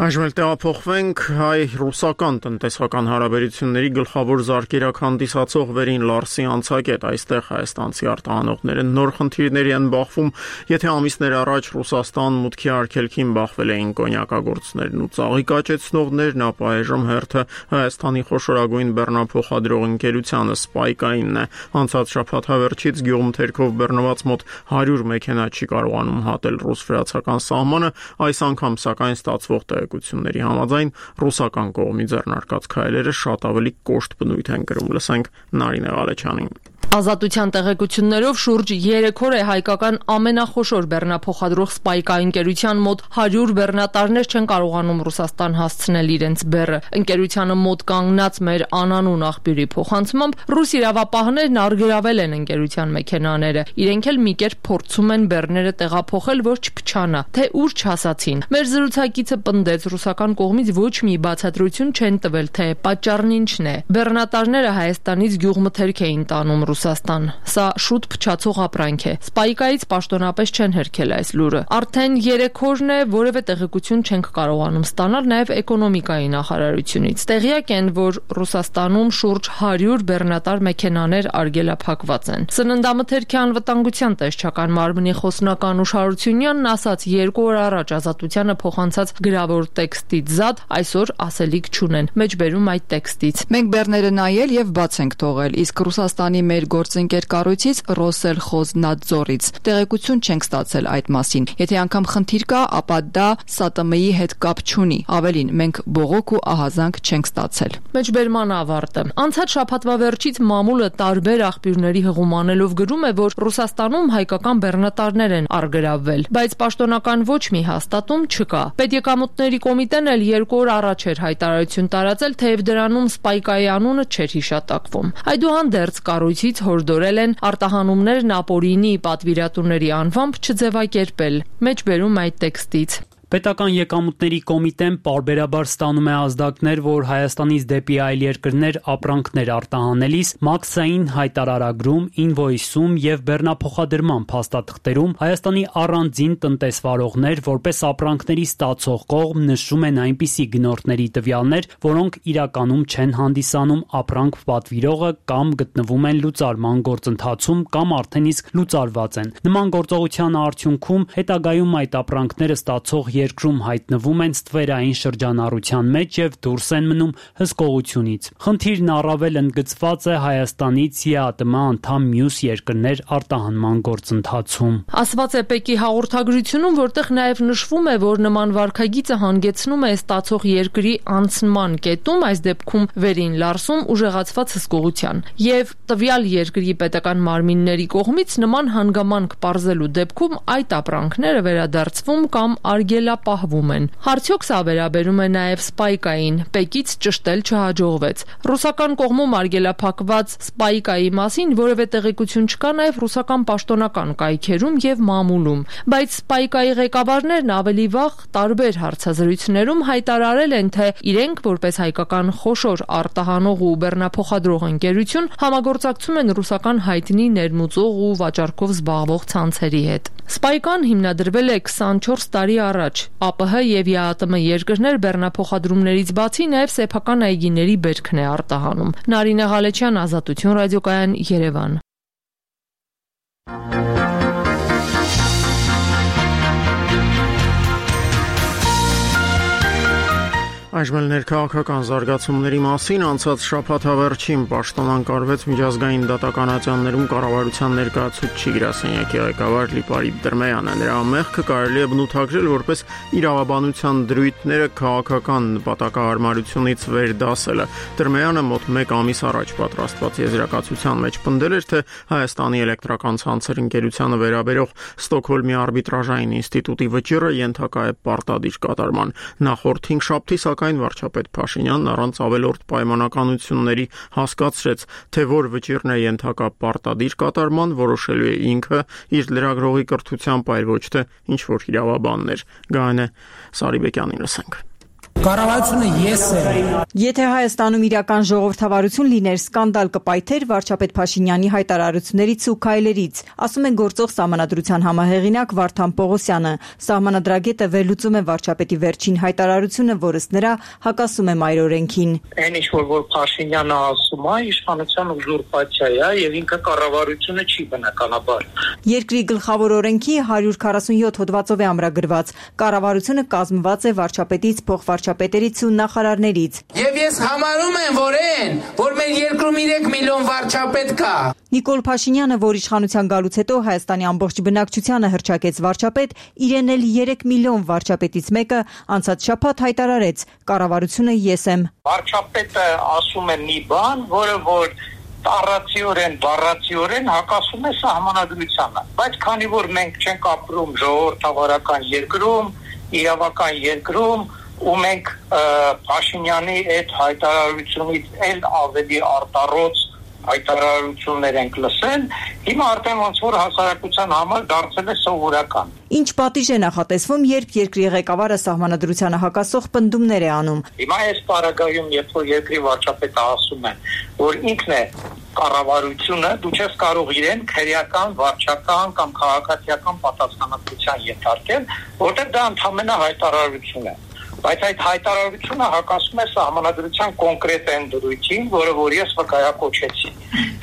Այժմ էլ տեղափոխվենք հայ-ռուսական տնտեսական հարաբերությունների գլխավոր զարկերակ հանդիսացող Վերին Լարսի անցակետ։ Այստեղ հայաստանցի արտահանողները նոր խնդիրների են բախվում, եթե ամիսներ առաջ Ռուսաստան մուտքի արգելքին բախվել էին կոնյակագործներն ու ծաղիկ աճեցնողներն, ապա այժմ հերթը Հայաստանի խոշորագույն բեռնափոխադրող ընկերությանը Սպայկայինն է։ Անցած շաբաթ հավերչից գյուղում թերքով բեռնված մոտ 100 մեքենա չի կարողանում հատել ռուս-վրացական սահմանը, այս անգամ սակայն ստացվող տեղեկությունների համաձայն ռուսական կողմի ձեռնարկած քայլերը շատ ավելի կոշտ բնույթ են կրում։ Լսենք Նարինե Ղալեչյանին։ Ազատության տեղեկություններով շուրջ 3 օր է հայկական ամենախոշոր բեռնափոխադրող Սպայկա ընկերության մոտ 100 բեռնատարներ չեն կարողանում Ռուսաստան հասցնել իրենց բեռը։ Ընկերությանը մոտ կանգնած մեր անանուն աղբյուրի փոխանցմամբ ռուս իրավապահներն արգելավել են ընկերության մեքենաները։ Իրենք էլ մի կերպ փորձում են բեռները տեղափոխել, որ չփչանա, թե ուր չհասացին։ Մեր զրուցակիցը պնդեց, ռուսական կողմից ոչ մի բացատրություն չեն տվել, թե պատճառն ինչն է։ Բեռնատարները Հայաստանից գյուղմթերք էին տանում Ռուսաստան։ Սա շուտ փչացող ապրանք է։ Սպայկայից պաշտոնապես չեն հերքել այս լուրը։ Արդեն 3 օրն է, որևէ տեղեկություն չենք կարողանում ստանալ նաև էկոնոմիկայի նախարարությունից։ Տեղյակ են, որ Ռուսաստանում շուրջ 100 բեռնատար մեքենաներ արգելափակված են։ Սննդամթերքի անվտանգության տեսչական մարմնի խոսնական Ուշ Հարությունյանն ասաց 2 օր առաջ Ազատությանը փոխանցած գրավոր տեքստից զատ այսօր ասելիք չունեն։ Մեջբերում այդ տեքստից։ Մենք բեռները նայել եւ բաց ենք թողել, իսկ Ռուսաստանի մեր գործընկեր կառույցից Ռոսելխոզնադզորից տեղեկություն չենք ստացել այդ մասին։ Եթե անգամ խնդիր կա, ապա դա ՍԱՏՄ-ի հետ կապ չունի։ Ավելին, մենք բողոք ու ահազանգ չենք ստացել։ Մեջբերման ավարտը։ Անցած շաբաթվա վերջից մամուլը տարբեր աղբյուրների հղումանելով գրում է, որ Ռուսաստանում հայկական բեռնատարներ են արգելավվել, բայց պաշտոնական ոչ մի հաստատում չկա։ Պետեկամուտների կոմիտեն էլ 2 օր առաջ էր հայտարարություն տարածել, թեև դրանում Սպայկայի անունը չէր հիշատակվում։ Այդուհանդերձ կառույցից հորդորել են արտահանումներն ապօրինի պատվիրատուների անվամբ չձևակերպել։ Մեջբերում այդ տեքստից։ Պետական եկամուտների կոմիտեն պարբերաբար ստանում է ազդակներ, որ Հայաստանից դեպի այլ երկրներ ապրանքներ արտահանելիս մաքսային հայտարարագրում, ինվոյսում եւ բեռնափոխադրման փաստաթղթերում Հայաստանի առանձին տնտեսվարողներ որպես ապրանքների ստացող կողմ նշում են այնպիսի գնորդների տվյալներ, որոնք իրականում չեն հանդիսանում ապրանք պատվիրողը կամ գտնվում են լուծարման գործընթացում կամ արդեն իսկ լուծարված են։ Նման գործողության արդյունքում հետագայում այդ ապրանքները ստացող երկրում հայտնվում են ստվերային շրջանառության մեջ եւ դուրս են մնում հսկողությունից։ Խնդիրն առավել ընդգծված է Հայաստանից ԵԱՏՄ անդամ մյուս երկրներ արտահանման գործընթացում։ Ասված է ՊԵԿ-ի հաղորդագրությունում, որտեղ նաեւ նշվում է, որ նման վարքագիծը հանգեցնում է ստացող երկրի անցնման կետում, այս դեպքում Վերին Լարսում ուժեղացված հսկողության, եւ տվյալ երկրի պետական մարմինների կողմից նման հանգամանք պարզելու դեպքում այդ ապրանքները վերադարձվում կամ արգելապահվում են։ Հարցյոք սա վերաբերում է նաև Սպայկային, ՊԵԿ-ից ճշտել չհաջողվեց։ Ռուսական կողմում արգելափակված Սպայկայի մասին որևէ տեղեկություն չկա նաև ռուսական պաշտոնական կայքերում եւ մամուլում, բայց Սպայկայի ղեկավարներն ավելի վաղ տարբեր հարցազրույցներում հայտարարել են, թե իրենք որպես հայկական խոշոր արտահանող ու բեռնափոխադրող ընկերություն համագործակցում են ռուսական հայտնի ներմուծող ու վաճառքով զբաղվող ցանցերի հետ։ Սպայկան հիմնադրվել է 24 տարի առաջ։ ԱՊՀ եւ ԵԱՏՄ երկրներ բեռնափոխադրումներից բացի նաեւ սեփական այգիների բերքն է արտահանում։ Նարինե Ղալեչյան, Ազատություն, ռադիոկայան, Երևան։ Այժմ էլ ներքաղաքական զարգացումների մասին անցած շաբաթ հավերչին պաշտոնան կարվեց միջազգային դատականատյաններում կառավարության ներկայացուցիչ գրասենյակի ղեկավար Լիպարիտ Դրմեյանը։ Նրա մեղքը կարելի է բնութագրել որպես իրավաբանության դրույթները քաղաքական նպատակահարմարությունից վերդասելը։ Դրմեյանը մոտ 1 ամիս առաջ պատրաստված եզրակացության մեջ պնդել էր, թե Հայաստանի էլեկտրական ցանցեր ընկերությանը վերաբերող Ստոկհոլմի արբիտրաժային ինստիտուտի վճիռը ենթակա է պարտադիր կատարման։ Նախորդ 5 շաբթի Սակայն վարչապետ Փաշինյանն առանց ավելորդ պայմանականությունների հասկացրեց, թե որ վճիրն է ենթակա պարտադիր կատարման, որոշելու է ինքը իր լրագրողի կրթությամբ, այլ ոչ թե ինչ-որ իրավաբաններ։ Գայնե Սարիբեկյանին լսենք։ Կառավարությունը ես եմ։ Եթե Հայաստանում իրական ժողովրդավարություն լիներ, սկանդալ կպայթեր վարչապետ Փաշինյանի հայտարարություններից ու քայլերից, ասում են գործող Սահմանադրության համահեղինակ Վարդան Պողոսյանը։ Սահմանադրագետը վերլուծում է վարչապետի վերջին հայտարարությունը, որը նրա հակասում է մայրօրենքին։ Այն ինչ որ Փաշինյանը ասում է, իշխանության ուզուրպացիա է եւ ինքը կառավարությունը չի բնականաբար։ Երկրի գլխավոր օրենքի 147 հոդվածով է ամրագրված. կառավարությունը կազմված է վարչապետից, փոխվարչապետերից ու նախարարներից։ Եվ ես համարում եմ, որ մեր երկրում 3 միլիոն վարչապետ կա։ Նիկոլ Փաշինյանը, որ իշխանության գալուց հետո Հայաստանի ամբողջ բնակչությանը հռչակեց վարչապետ, իրեն էլ 3 միլիոն վարչապետից մեկը անցած շաբաթ հայտարարեց. կառավարությունը ես եմ։ Վարչապետը ասում է մի բան, որը որ բառացիորեն հակասում է սահմանադրությանը։ Բայց քանի որ մենք չենք ապրում ժողովրդավարական երկրում, իրավական երկրում, ու մենք Փաշինյանի այդ հայտարարությունից էլ ավելի արտառոց հայտարարություններ ենք լսել, հիմա արդեն ոնց որ հասարակության համար դարձել է սովորական։ Ինչ պատիժ է նախատեսվում, երբ երկրի ղեկավարը սահմանադրությանը հակասող պնդումներ է անում։ Հիմա այս պարագայում, երբ որ երկրի վարչապետը ասում է, որ ինքն է կառավարությունը, դու չես կարող իրեն քրեական, վարչական կամ քաղաքացիական պատասխանատվության ենթարկել, որտեղ դա ընդհանրապես հայտարարություն է։ Բայց այդ հայտարարությունը հակասում է սահմանադրության կոնկրետ այն դրույթին, որը որ ես վկայակոչեցի։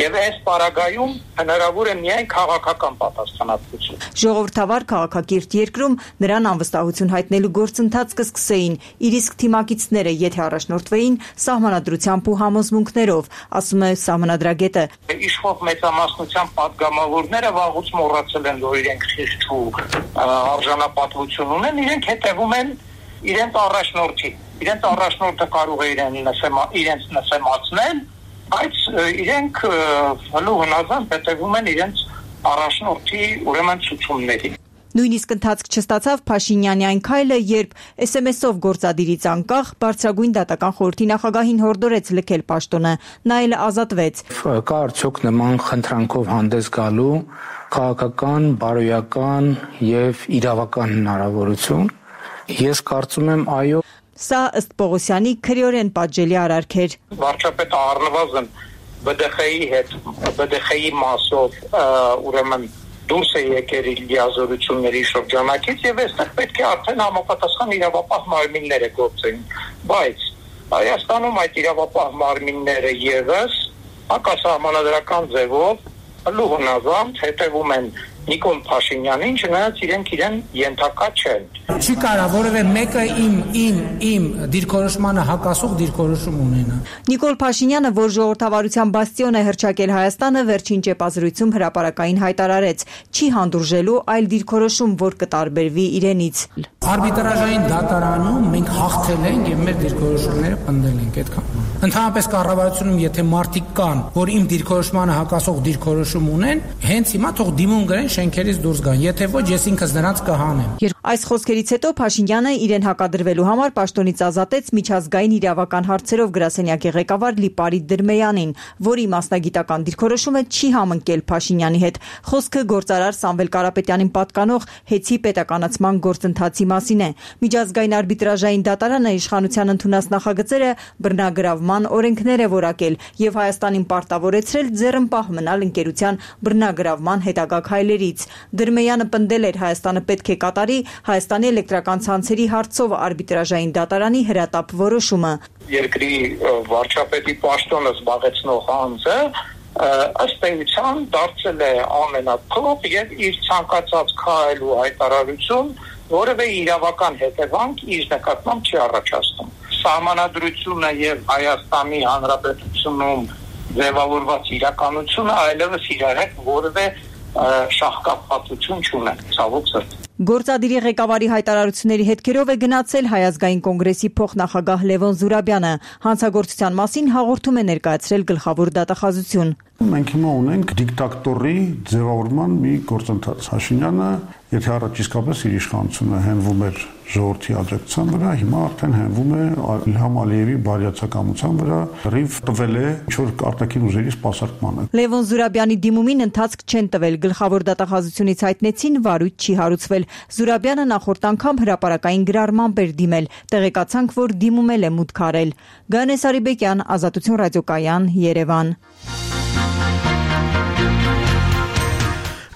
Եվ այս պարագայում հնարավոր է միայն քաղաքական պատասխանատվություն։ Ժողովրդավար քաղաքակիրթ երկրում նրան անվստահություն հայտնելու գործընթաց կսկսեին, իր իսկ թիմակիցները, եթե առաջնորդվեին սահմանադրությամբ ու համոզմունքներով, ասում է սահմանադրագետը։ Իշխող մեծամասնության падգամավորները վաղուց մոռացել են, որ իրենք խիղճ ու արժանապատվություն ունեն, իրենք հետևում են իրենց առաջնորդի։ Իրենց առաջնորդը կարող է իրենց նսեմացնել, բայց իրենք հնազանդ հետևում են իրենց առաջնորդի ուրեմն ցուցումների։ Նույնիսկ ընթացք չստացավ Փաշինյանի այն քայլը, երբ SMS-ով գործադիրից անկախ բարձրագույն դատական խորհրդի նախագահին հորդորեց լքել պաշտոնը, նա էլ ազատվեց։ Կա արդյոք նման խնդրանքով հանդես գալու քաղաքական, բարոյական եւ իրավական հնարավորություն։ Ես կարծում եմ այո։ Սա ըստ Պողոսյանի քրեորեն պատժելի արարք էր։ Վարչապետը առնվազն BDԽ-ի մասով ուրեմն դուրս է եկել լիազորությունների շրջանակից եւ այստեղ պետք է արդեն համապատասխան իրավապահ մարմինները գործեն։ Բայց Հայաստանում այդ իրավապահ մարմինները եւս հակասահմանադրական ձևով լուհնազանդ հետևում են Նիկոլ Փաշինյանին, չնայած իրենք իրեն ենթակա չեն։ Չի կարող որևէ մեկը իմ դիրքորոշմանը հակասող դիրքորոշում ունենա։ Նիկոլ Փաշինյանը, որ ժողովրդավարության բաստիոն է հռչակել Հայաստանը, վերջին ճեպազրույցում հրապարակային հայտարարեց. չի հանդուրժելու այլ դիրքորոշում, որ կտարբերվի իրենից։ Արբիտրաժային դատարանում մենք հաղթել ենք եւ մեր դիրքորոշումները պնդել ենք այդքան։ Ընդհանրապես կառավարությունում եթե մարդիկ կան, որ իմ դիրքորոշմանը հակասող դիրքորոշում ունեն, հենց հիմա թող դիմում գրեն շենքերից դուրս գան, եթե ոչ ես ինքս նրանց կհանեմ։ Այս խոսքերից հետո Փաշինյանը իրեն հակադրվելու համար պաշտոնից ազատեց միջազգային իրավական հարցերով գրասենյակի ղեկավար Լիպարիտ Դրմեյանին, որի մասնագիտական դիրքորոշումը չի համընկել Փաշինյանի հետ։ Խոսքը գործարար Սամվել Կարապետյանին պատկանող հեծի պետականացման գործընթացի մասին է։ Միջազգային արբիտրաժային դատարանը իշխանության ընդունած նախագծերը բռնագրավման օրենքներ է որակել եւ Հայաստանին պարտավորեցրել ձեռնպահ մնալ ընկերության բռնագրավման հետագա քայլերից։ Դրմեյանը պնդել էր Հայաստանը պետք է կատարի Հայաստանի էլեկտրական ցանցերի հարցով արբիտրաժային դատարանի հրատապ որոշումը։ Երկրի վարչապետի պաշտոնը զբաղեցնող անձը ըստ էության դարձել է ամենափոքր եւ իր ցանկացած քայլու հայտարարություն որևէ իրավական հետևանք իր նկատմամբ չի առաջացնում։ Սահմանադրությունը եւ Հայաստանի Հանրապետությունում ձևավորված իրականությունը այլևս իրար հետ որևէ շահկապվածություն չունեն, ցավոք սրտի։ Գործադիրի ղեկավարի հայտարարությունների հետքերով է գնացել Հայ ազգային կոնգրեսի փոխնախագահ Լևոն Զուրաբյանը, հանցագործության մասին հաղորդում է ներկայացրել գլխավոր դատախազություն։ Մենք հիմա ունենք դիկտատորի ձևավորման մի գործընթաց։ Փաշինյանը, եթե առաջ իսկապես իր իշխանությունը հենվում էր ժողովրդի աջակցության վրա, հիմա արդեն հենվում է Իլհամ Ալիևի բարյացակամության վրա, ռիվ տվել է ինչ-որ արտաքին ուժերի սպասարկմանը։ Լևոն Զուրաբյանի դիմումին ընթացք չեն տվել, գլխավոր դատախազությունից հայտնեցին վարույթ չի հարուցվել։ Զուրաբյանը նախորդ անգամ հրապարակային գրառմամբ էր դիմել, տեղեկացանք, որ դիմումել է մուտք արել։ Գանես Արիբեկյան, Ազատություն ռադիոկայան, Երևան։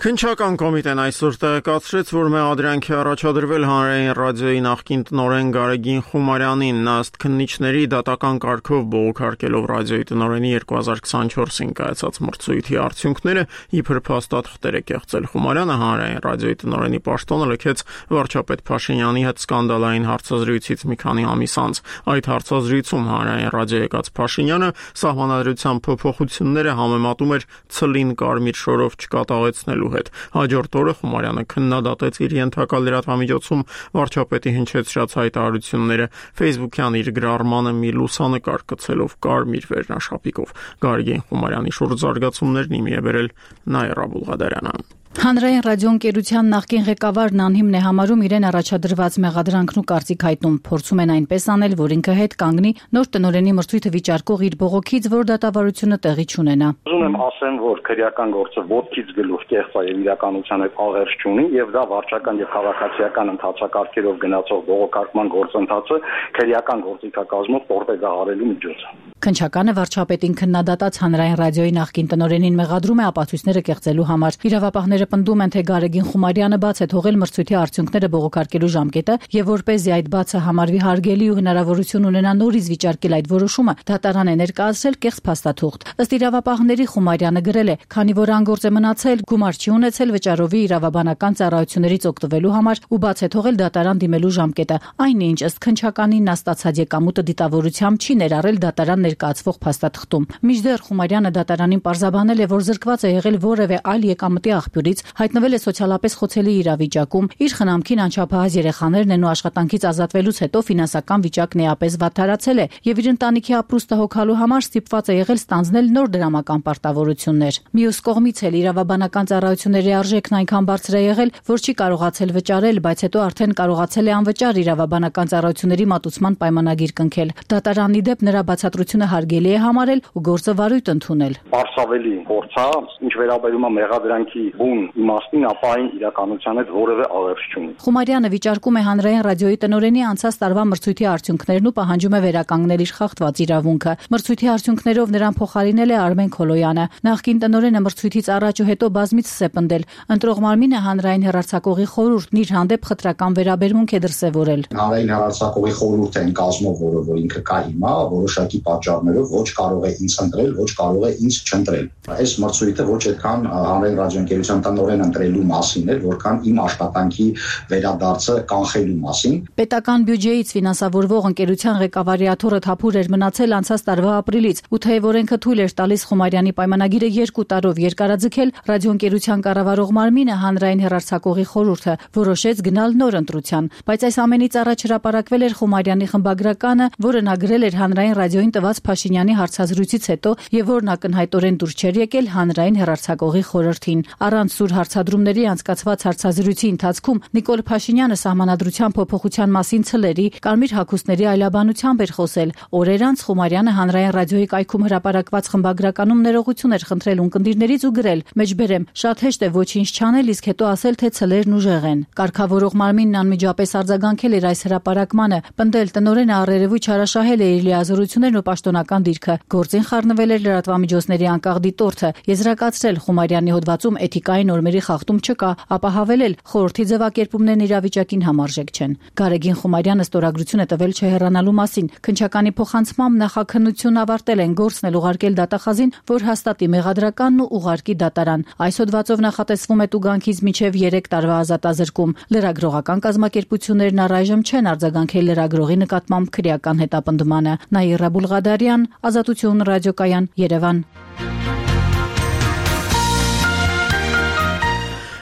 Քննչական կոմիտեն այսօր տեղեկացրեց, որ մեղադրանքի առաջադրվել հանրային ռադիոյի նախկին տնօրեն Գարեգին Խումարյանին, նա ըստ քննիչների դատական կարգով բողոքարկելով ռադիոյի տնօրենի 2024-ին կայացած մրցույթի արդյունքները իբր փաստաթղթեր է կեղծել։ Խումարյանը հանրային ռադիոյի տնօրենի պաշտոնը լքեց վարչապետ Փաշինյանի հետ սկանդալային հարցազրույցից մի քանի ամիս անց։ Այդ հարցազրույցում հանրային ռադիո եկած Փաշինյանը սահմանադրության փոփոխությունները համեմատում էր ցլին կարմիր շորով չկատաղեցնելու հետ։ Հաջորդ օրը Խումարյանը քննադատեց իր ենթակա լրատվամիջոցում վարչապետի հնչեցրած հայտարարությունները, Facebook-յան իր գրառմանը մի լուսանկար գցելով կարմիր վերնաշապիկով։ Գարեգին Խումարյանի շուրջ զարգացումներն իմի է բերել Նաիրա Բուլղադարյանը։ Հանրային ռադիոընկերության նախկին ղեկավարն անհիմն է համարում իրեն առաջադրված մեղադրանքն ու կարծիք հայտնում, փորձում են այնպես անել, որ ինքը հետ կանգնի նոր տնօրենի մրցույթը վիճարկող իր բողոքից, որ դատավարությունը տեղի չունենա։ Ուզում եմ ասեմ, որ քրեական գործը ոտքից գլուխ կեղծ է եւ իրականության հետ աղերս չունի եւ դա վարչական եւ քաղաքացիական ընթացակարգերով գնացող բողոքարկման գործընթացը քրեական գործիքակազմով պորտեգահարելու միջոց է։ Քննչականը վարչապետին քննադատած հանրային ռադիոյի նախկին տնօրենին մեղադրում է ապացույցները կեղծելու համար։ Իրավապահները պնդում են, թե Գարեգին Խումարյանը բաց է թողել մրցույթի արդյունքները բողոքարկելու ժամկետը եւ որպեսզի այդ բացը համարվի հարգելի ու հնարավորություն ունենա նորից վիճարկել այդ որոշումը, դատարան է ներկայացրել կեղծ փաստաթուղթ։ Ըստ իրավապահների Խումարյանը գրել է, քանի որ անգործ է մնացել, գումար չի ունեցել վճարովի իրավաբանական ծառայություններից օգտվելու համար ու բաց է թողել դատարան դիմելու ժամկետը։ Այնինչ ըստ քննչականին նա ստացած եկամուտը դիտավորությամբ չի ներառել դատարան ներկայացվող փաստաթղթում։ Մինչդեռ Խումարյանը դատարանին պարզաբանել է, որ զրկված է եղել որևէ այլ եկամտի աղբյուրից, հայտնվել է սոցիալապես խոցելի իրավիճակում, իր խնամքին անչափահաս երեխաներն են ու աշխատանքից ազատվելուց հետո ֆինանսական վիճակն էապես վատթարացել է եւ իր ընտանիքի ապրուստը հոգալու համար ստիպված է եղել ստանձնել նոր դրամական պարտավորություններ։ Մյուս կողմից էլ իրավաբանական ծառայությունների արժեքն այնքան բարձր է եղել, որ չի կարողացել վճարել, բայց հետո արդեն կարողացել է անվճար իրավաբանական ծառայությունների մատուցման պայմանագիր կնքել։ Դատարանի դեպ նրա բացատրությունը հարգելի է համարել ու գործը վարույթ ընդունել։ Պարսավելի փորձա, ինչ վերաբերում է մեղադրանքի բուն իմաստին, ապա այն իրականության հետ որևէ աղերս չունի։ Խումարյանը վիճարկում է հանրային ռադիոյի տնօրենի անցած տարվա մրցույթի արդյունքներն ու պահանջում է վերականգնել իր խախտված իրավունքը։ Մրցույթի արդյունքներով նրան փոխարինել է Արմեն Քոլոյանը։ Նախկին տնօրենը մրցույթից առաջ ու հետո բազմիցս է պնդել, ընտրող մարմինը հանրային հեռարձակողի խորհուրդն իր հանդեպ խտրական վերաբերմունք է դրսևորել։ Հանրային հեռարձակողի խորհուրդը այն կազմով, որ ինքը կա հիմա, որոշակի պատճառներով ոչ կարող է ինձ ընտրել, ոչ կարող է ինձ չընտրել։ Այս մրցույթը ոչ այդքան հանրային ռադիոընկերության տնօրեն ընտրելու մասին էր, որքան իմ աշխատանքի վերադարձը կանխելու մասին։ Պետական բյուջեից ֆինանսավորվող ընկերության ղեկավարի աթոռը թափուր էր մնացել անցած տարվա ապրիլից, ու թեև օրենքը թույլ էր տալիս Խումարյանի պայմանագիրը 2 տարով երկարաձգել, ռադիոընկերության կառավարող մարմինը հանրային հեռարձակողի խորհուրդը որոշեց գնալ նոր ընտրության, բայց այս ամենից առաջ հրապարակվել էր Խումարյանի խմբագրականը, որը նա գրել էր հանրային ռադիոյին տված Փաշինյանի հարցազրույցից հետո եւ որն ակնհայտորեն դուրս չէր եկել հանրային հեռարձակողի խորհրդին։ Առանց սուր հարցադրումների անցկացված հարցազրույցի ընթացքում Նիկոլ Փաշինյանը սահմանադրության փոփոխության մասին ցլերի, կարմիր հագուստների այլաբանությամբ էր խոսել։ Օրեր անց Խումարյանը հանրային ռադիոյի կայքում հրապարակված խմբագրականում ներողություն էր խնդրել ունկնդիրներից ու գրել. «Մեջբերեմ, շատ հեշտ է ոչինչ չանել, իսկ հետո ասել, թե ցլերն ուժեղ են»։ Կարգավորող մարմինն անմիջապես արձագանքել էր այս հրապարակմանը, պնդել տնօրենը առերևույթ չարաշահել է իր լիազորություններն ու պաշտոնական դիրքը, գործին խառնվել էր լրատվամիջոցների անկախ դիտորդը, եզրակացրել Խումարյանի հոդվածում էթիկայի նորմերի խախտում չկա, ապա հավելել խորհրդի ձևակերպումներն իրավիճակին համարժեք չեն։ Գարեգին Խումարյանը ստորագրություն է տվել չհեռանալու մասին։ Քննչականի փոխանցմամբ նախաքննություն ավարտել են, գործն էլ ուղարկել դատախազին, որ հաստատի մեղադրականն ու ուղարկի դատարան։ Այս հոդվածով նախատեսվում է տուգանքից մինչև 3 տարվա ազատազրկում։ Լրագրողական կազմակերպություններն առայժմ չեն արձագանքել լրագրողի նկատմամբ քրեական հետապնդմանը։ Նաիրա Բուլղադարյան, Ազատություն ռադիոկայան, Երևան։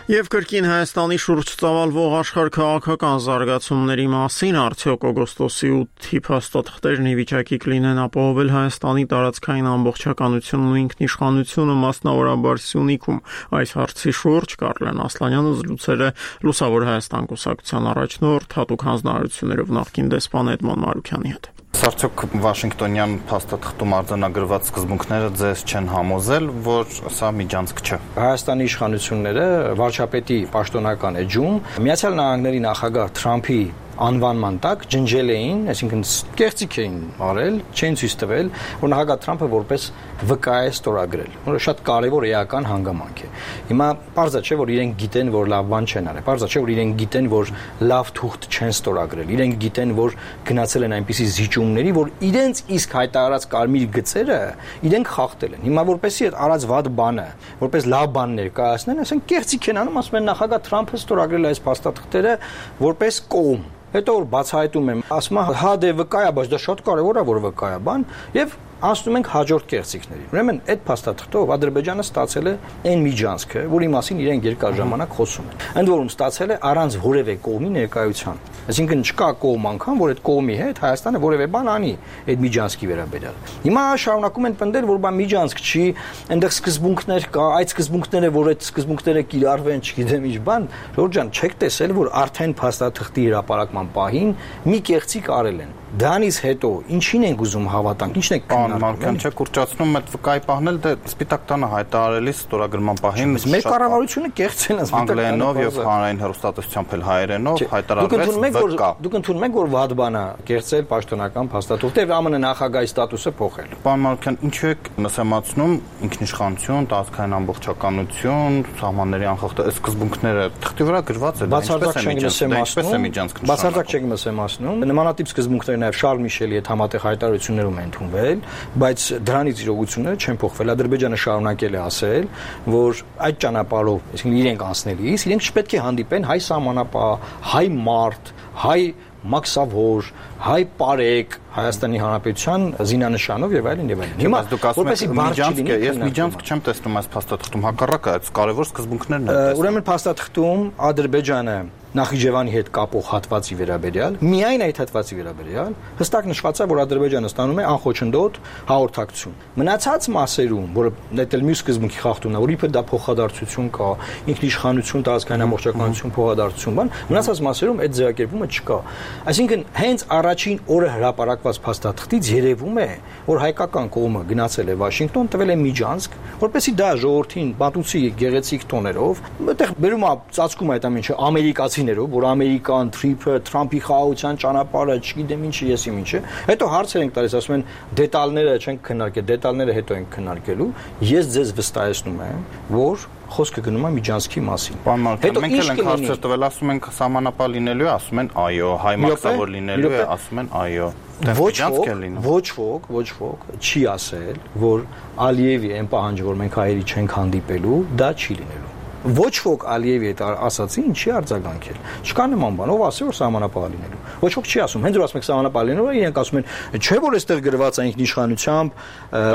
Եվ կրկին Հայաստանի շուրջ ծավալվող աշխարհ քաղաքական զարգացումների մասին արդյոք օգոստոսի 8-ի փաստաթղթերն ի վիճակի կլինեն ապահովել Հայաստանի տարածքային ամբողջականությունն ու ինքնիշխանությունը, մասնավորաբար Սյունիքում։ Այս հարցի շուրջ Կարլեն Ասլանյանը զրուցել է Լուսավոր Հայաստան կուսակցության առաջնորդ հատուկ հանձնարարություններով նախկին դեսպան Էդմոն Մարուքյանի հետ։ Արդյոք Վաշինգտոնյան փաստաթղթում արձանագրված սկզբունքները ձեզ չեն համոզել, որ սա միջանցք չէ։ Հայաստանի իշխանությունները վարչապետի պաշտոնական էջում Միացյալ Նահանգների նախագահ Թրամփի անվանման տակ ջնջել էին, այսինքն կեղծիք էին արել, չեն ցույց տվել, որ նախագահ Թրամփը որպես վկա է ստորագրել, որը շատ կարևոր էական հանգամանք է։ Հիմա պարզա չէ, որ իրենք գիտեն, որ լավ բան չեն արել, պարզա չէ, որ իրենք գիտեն, որ լավ թուղթ չեն ստորագրել, իրենք գիտեն, որ գնացել են այնպիսի զիջումների, որ իրենց իսկ հայտարարած կարմիր գծերը իրենք խախտել են։ Հիմա որպեսի այդ արած վատ բանը, որպես լավ բան ներկայացնեն, ասեն կեղծիք են անում, ասում են նախագահ Թրամփը ստորագրել այս փաստաթղթերը որպես կողմ։ Հետո որ բացահայտում եմ, ասում եմ, հա դե վկա է, բայց դա շատ կարևոր է, որ վկա է բան, եւ անցնում ենք հաջորդ կեղծիքների։ Ուրեմն այդ փաստաթղթով Ադրբեջանը ստացել է այն միջանցքը, որի մասին իրենք երկար ժամանակ խոսում են։ Ընդ որում ստացել է առանց որևէ կողմի ներկայության։ Այսինքն չկա կողմ անգամ, որ այդ կողմի հետ Հայաստանը որևէ բան անի այդ միջանցքի վերաբերյալ։ Հիմա շարունակում են պնդել, որ բա միջանցք չի, այնտեղ սկզբունքներ կա, այդ սկզբունքները, որ այդ սկզբունքները կիրառվեն, չգիտեմ ինչ բան, Ժորժ ջան, չեք տեսել, որ արդեն փաստաթղթի հրապարակման պահին մի կեղծիք արել են։ Դրանից հետո ինչին ենք ուզում հավատանք, ինչն է Մարքյան չէ կուրճացնում այդ վկայի պահնել դե Սպիտակ տանը հայտարարելիս ստորագրման պահին մեր կառավարությունը կեղծել է անգլերենով եւ հանրային հեռուստատեսությամբ էլ հայերենով հայտարարվեց վկա։ Դուք ընդունում եք որ վատ բան է կեղծել պաշտոնական փաստաթուղթ եւ ԱՄՆ նախագահի ստատուսը փոխել։ Պարոն Մարքյան, ինչու եք նսեմացնում ինքնիշխանություն, տարածքային ամբողջականություն, սահմանների անխախտ այս սկզբունքները թղթի վրա գրված է, ինչպես է միջանցք։ Բացարձակ չեք նսեմացնում։ Նմանատիպ սկզբունքները նաև Շարլ Միշելի հետ համատեղ հայտարարություններում են ընդունվել, բայց դրանից իրողությունները չեն փոխվել։ Ադրբեջանը շարունակել է ասել, որ այդ ճանապարհով, այսինքն իրենք անցնելիս, իրենք չպետք է հանդիպեն հայ սահմանապահ, հայ մարդ, հայ մաքսավոր, հայ պարեկ, Հայաստանի Հանրապետության զինանշանով եւ այլն եւ այլն։ Հիմա դուք ասում եք միջանցք է, ես միջանցք չեմ տեսնում այս փաստաթղթում, հակառակը այդ կարևոր սկզբունքներն են տեսնում։ Ուրեմն փաստաթղթում Ադրբեջանը Նախիջևանի հետ կապող հատվածի վերաբերյալ, միայն այդ հատվածի վերաբերյալ հստակ նշված է, որ Ադրբեջանը ստանում է անխոչնդոտ հաղորդակցություն։ Մնացած մասերում, որը նետել մյուս սկզբունքի խախտումն է, որ իբր դա փոխադարձություն կա, ինքնիշխանություն, տարածքային ամբողջականություն, փոխադարձություն, բան, մնացած մասերում այդ ձևակերպումը չկա։ Այսինքն հենց առաջին օրը հրապարակված փաստաթղթից երևում է, որ հայկական կողմը գնացել է Վաշինգտոն, տվել է միջանցք, որպեսզի դա ժողովրդին բատուցի գեղեցիկ տոներով, այդտեղ բերում է ծածկում այդ ամենը ամերիկացիներով, որ Ամերիկան, Թրամփի խաղաղության ճանապարհը, չգիտեմ ինչի, եսի ինչի։ Հետո հարցեր ենք տալիս, ասում են դետալները չենք քննարկել, դետալները հետո ենք քննարկելու։ Ես ձեզ վստահեցնում եմ, որ խոսքը գնում է միջանցքի մասին։ Պարոն Մարքյան, մենք էլ ենք հարցեր տվել, ասում ենք սահմանապահ լինելու է, ասում են այո, հայ մաքսավոր լինելու է, ասում են այո։ Ոչ ոք չի ասել, որ Ալիևի այն պահանջը, որ մենք հայերի չենք հանդիպելու, դա չի լինելու։ Ոչ ոք Ալիևի հետ ասացին չի արձագանքել։ Չկա նման բան, ով ասի որ սահմանապահ լինելու։ Ոչ ոք չի ասում, հենց որ ասում եք սահմանապահ լինելու, իրենք ասում են, չէ որ այստեղ գրված է ինքնիշխանությամբ,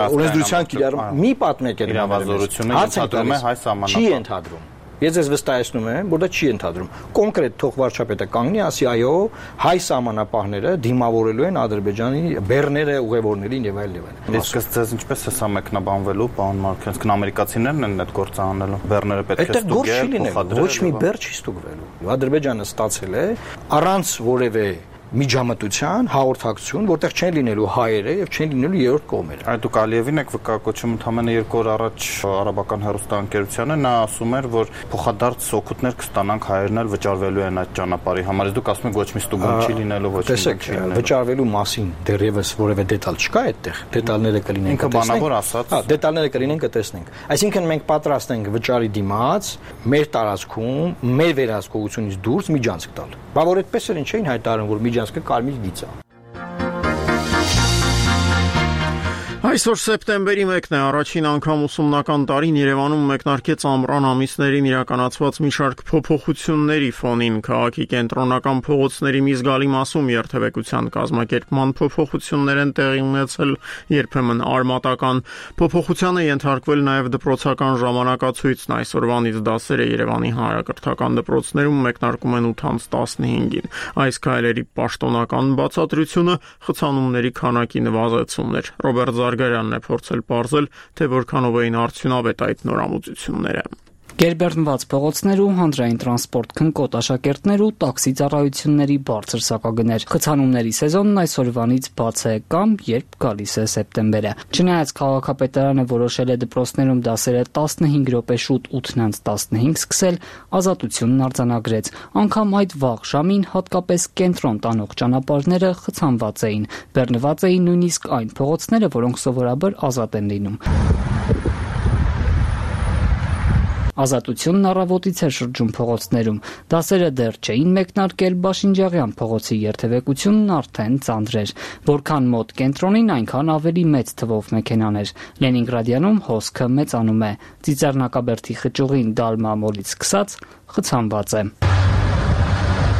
օրենսդրության կիրառում, մի պատմեք է իրավազորությունը ընդհանրում է հայ սահմանապահ։ Չի ընդհանրում։ Ես ձեզ վստահեցնում եմ, որ դա չի ընդհանրում։ Կոնկրետ թող վարչապետը կանգնի, ասի այո, հայ սահմանապահները դիմավորելու են Ադրբեջանի բեռները, ուղևորներին եւ այլն եւ այլն։ Իսկ ձեզ ինչպես է սա մեկնաբանվելու, պարոն Մարքյան, ամերիկացիներն են այդ գործը անելու։ Բեռները պետք է ստուգել, փոխադրել։ Ոչ մի բեռ չի ստուգվելու։ Ադրբեջանը ստացել է առանց որևէ միջամտության, հաղորդակցություն, որտեղ չեն լինելու հայերը եւ չեն լինելու երրորդ կողմերը։ Այդ դուք Ալիևին եք վկայակոչում ընդամենը 2 օր առաջ արաբական հեռուստաընկերությանը, նա ասում էր, որ փոխադարձ օգուտներ կստանանք հայերն էլ վճարվելու են այդ ճանապարհի համար։ Դուք ասում եք ոչ մի ստուգում չի լինելու, ոչ մի չի լինելու։ Վճարվելու մասին դեռևս որևէ դետալ չկա այդտեղ։ Դետալները կլինեն ինքը բանավոր ասած։ Հա, դետալները կլինեն կտեսնենք։ Այսինքն մենք պատրաստ ենք վճարի դիմաց մեր տարածքում, մեր վերահսկողությունից դուրս միջանցք տալ։ Բա որ այդպես էլ ինչ էին հայտարարում, որ միջանցքը կարմիր գիծ է։ Այսօր սեպտեմբերի 1-ն է, առաջին անգամ ուսումնական տարին Երևանում մեկնարկեց ամռան ամիսներին իրականացված մի շարք փոփոխությունների ֆոնին։ Քաղաքի կենտրոնական փողոցների մի զգալի մասում երթևեկության կազմակերպման փոփոխություններ են տեղի ունեցել, երբեմն արմատական։ Փոփոխության է ենթարկվել նաև դպրոցական ժամանակացույցն։ Այսօրվանից դասերը Երևանի հանրակրթական դպրոցներում մեկնարկում են 8-15-ին։ Այս քայլերի պաշտոնական բացատրությունը խցանումների քանակի նվազեցումն էր։ Ռոբերտ Զարգարյանն է փորձել պարզել, թե որքանով էին արդյունավետ այդ նորամուծությունները։ Գերբեռնված փողոցներում հանրային տրանսպորտ քնկոտ աշակերտներ ու տաքսի ծառայությունների բարձր սակագներ։ Խցանումների սեզոնն այսօրվանից բաց է կամ երբ գալիս է սեպտեմբերը։ Չնայած քաղաքապետարանը որոշել է դպրոցներում դասերը 15 րոպե շուտ 8:15 սկսել, ազատությունն արձանագրեց։ Անգամ այդ վաղ ժամին հատկապես կենտրոն տանող ճանապարհները խցանված էին։ Բեռնված էին նույնիսկ այն փողոցները, որոնք սովորաբար ազատ են լինում։ Ազատությունն առավոտից էր շրջում փողոցներում։ Դասերը դեռ չէին մեկնարկել, Բաշինջաղյան փողոցի երթևեկությունն արդեն ծանր էր։ Որքան մոտ կենտրոնին, այնքան ավելի մեծ թվով մեքենաներ։ Լենինգրադյանում հոսքը մեծանում է։ Ծիծեռնակաբերդի խճուղին դալմամոլից սկսած խցանված է։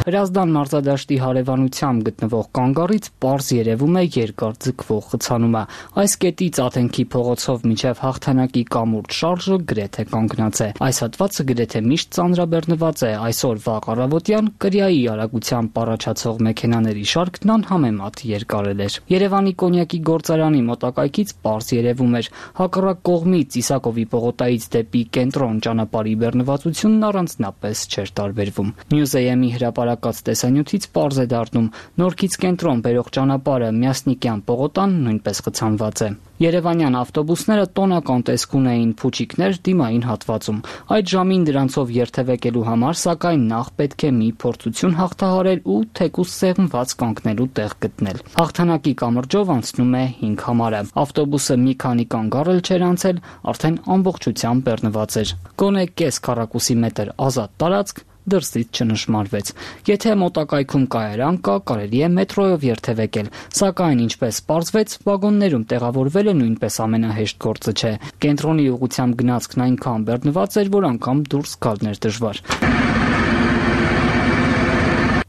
Հրազդան մարզադաշտի հարևանությամբ գտնվող կանգառից պարզ երևում է երկար ձգվող խցանումը։ Այս կետից Աթենքի փողոցով մինչև Հաղթանակի կամուրջ շարժը գրեթե կանգնած է։ Այս հատվածը գրեթե միշտ ծանրաբեռնված է։ Այսօր վաղ առավոտյան կրիայի արագությամբ առաջացող մեքենաների շարքն անհամեմատ երկարել էր։ Երևանի կոնյակի գործարանի մոտակայքից պարզ երևում էր։ Հակառակ կողմից Իսակովի պողոտայից դեպի կենտրոն ճանապարհի բեռնվածությունն առանձնապես չէր տարբերվում։ Մյուզեյմի հրապարակած տեսանյութից պարզ է դառնում, Նորքից կենտրոն բերող ճանապարհը Միասնիկյան պողոտան նույնպես խցանված է։ Երևանյան ավտոբուսները տոնական տեսք ունեին, փուչիկներ դիմային հատվածում։ Այդ ժամին դրանցով երթևեկելու համար սակայն նախ պետք է մի փորձություն հաղթահարել ու թեկուզ սեղմված կանգնելու տեղ գտնել։ Հաղթանակի կամրջով անցնում է 5 համարը։ Ավտոբուսը մի քանի կանգառ էլ չէր անցել, արդեն ամբողջությամբ բեռնված էր։ Գոնե կես քառակուսի մետր ազատ տարածք դրսից չնշմարվեց։ Եթե մոտակայքում կայարան կա, կարելի է մետրոյով երթևեկել, սակայն ինչպես պարզվեց, վագոններում տեղավորվելը նույնպես ամենահեշտ գործը չէ։ Կենտրոնի ուղղությամբ գնացքն այնքան բեռնված էր, որ անգամ դուրս գալն էր դժվար։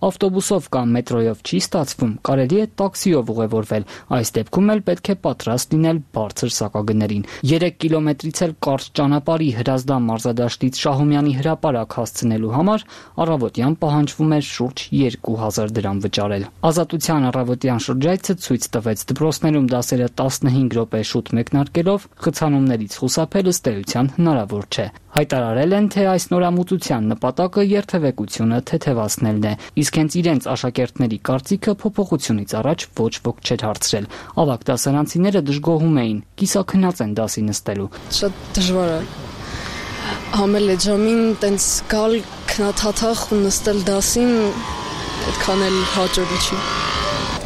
Ավտոբուսով կամ մետրոյով չի ստացվում, կարելի է տաքսիով ուղևորվել։ Այս դեպքում էլ պետք է պատրաստ լինել բարձր սակագներին։ 3 կիլոմետրից էլ կարճ ճանապարհի Հրազդան մարզադաշտից Շահումյանի հրապարակ հասցնելու համար առավոտյան պահանջվում էր շուրջ 2000 դրամ վճարել։ Ազատության առավոտյան շրջայցը ցույց տվեց դպրոցներում դասերը 15 րոպե շուտ մեկնարկելով խցանումներից խուսափել ըստ էության հնարավոր չէ։ Հայտարարել են, թե այս նորամուծության նպատակը երթևեկությունը թեթևացնելն է, իսկ հենց իրենց աշակերտների կարծիքը փոփոխությունից առաջ ոչ ոք չէր հարցրել։ Ավագ դասարանցիները դժգոհում էին, կիսաքնած են դասի նստելու։ Շատ դժվար է։ Համել այդ ժամին տենց գալ քնաթաթախ ու նստել դասին այդքան էլ հաճելի չի։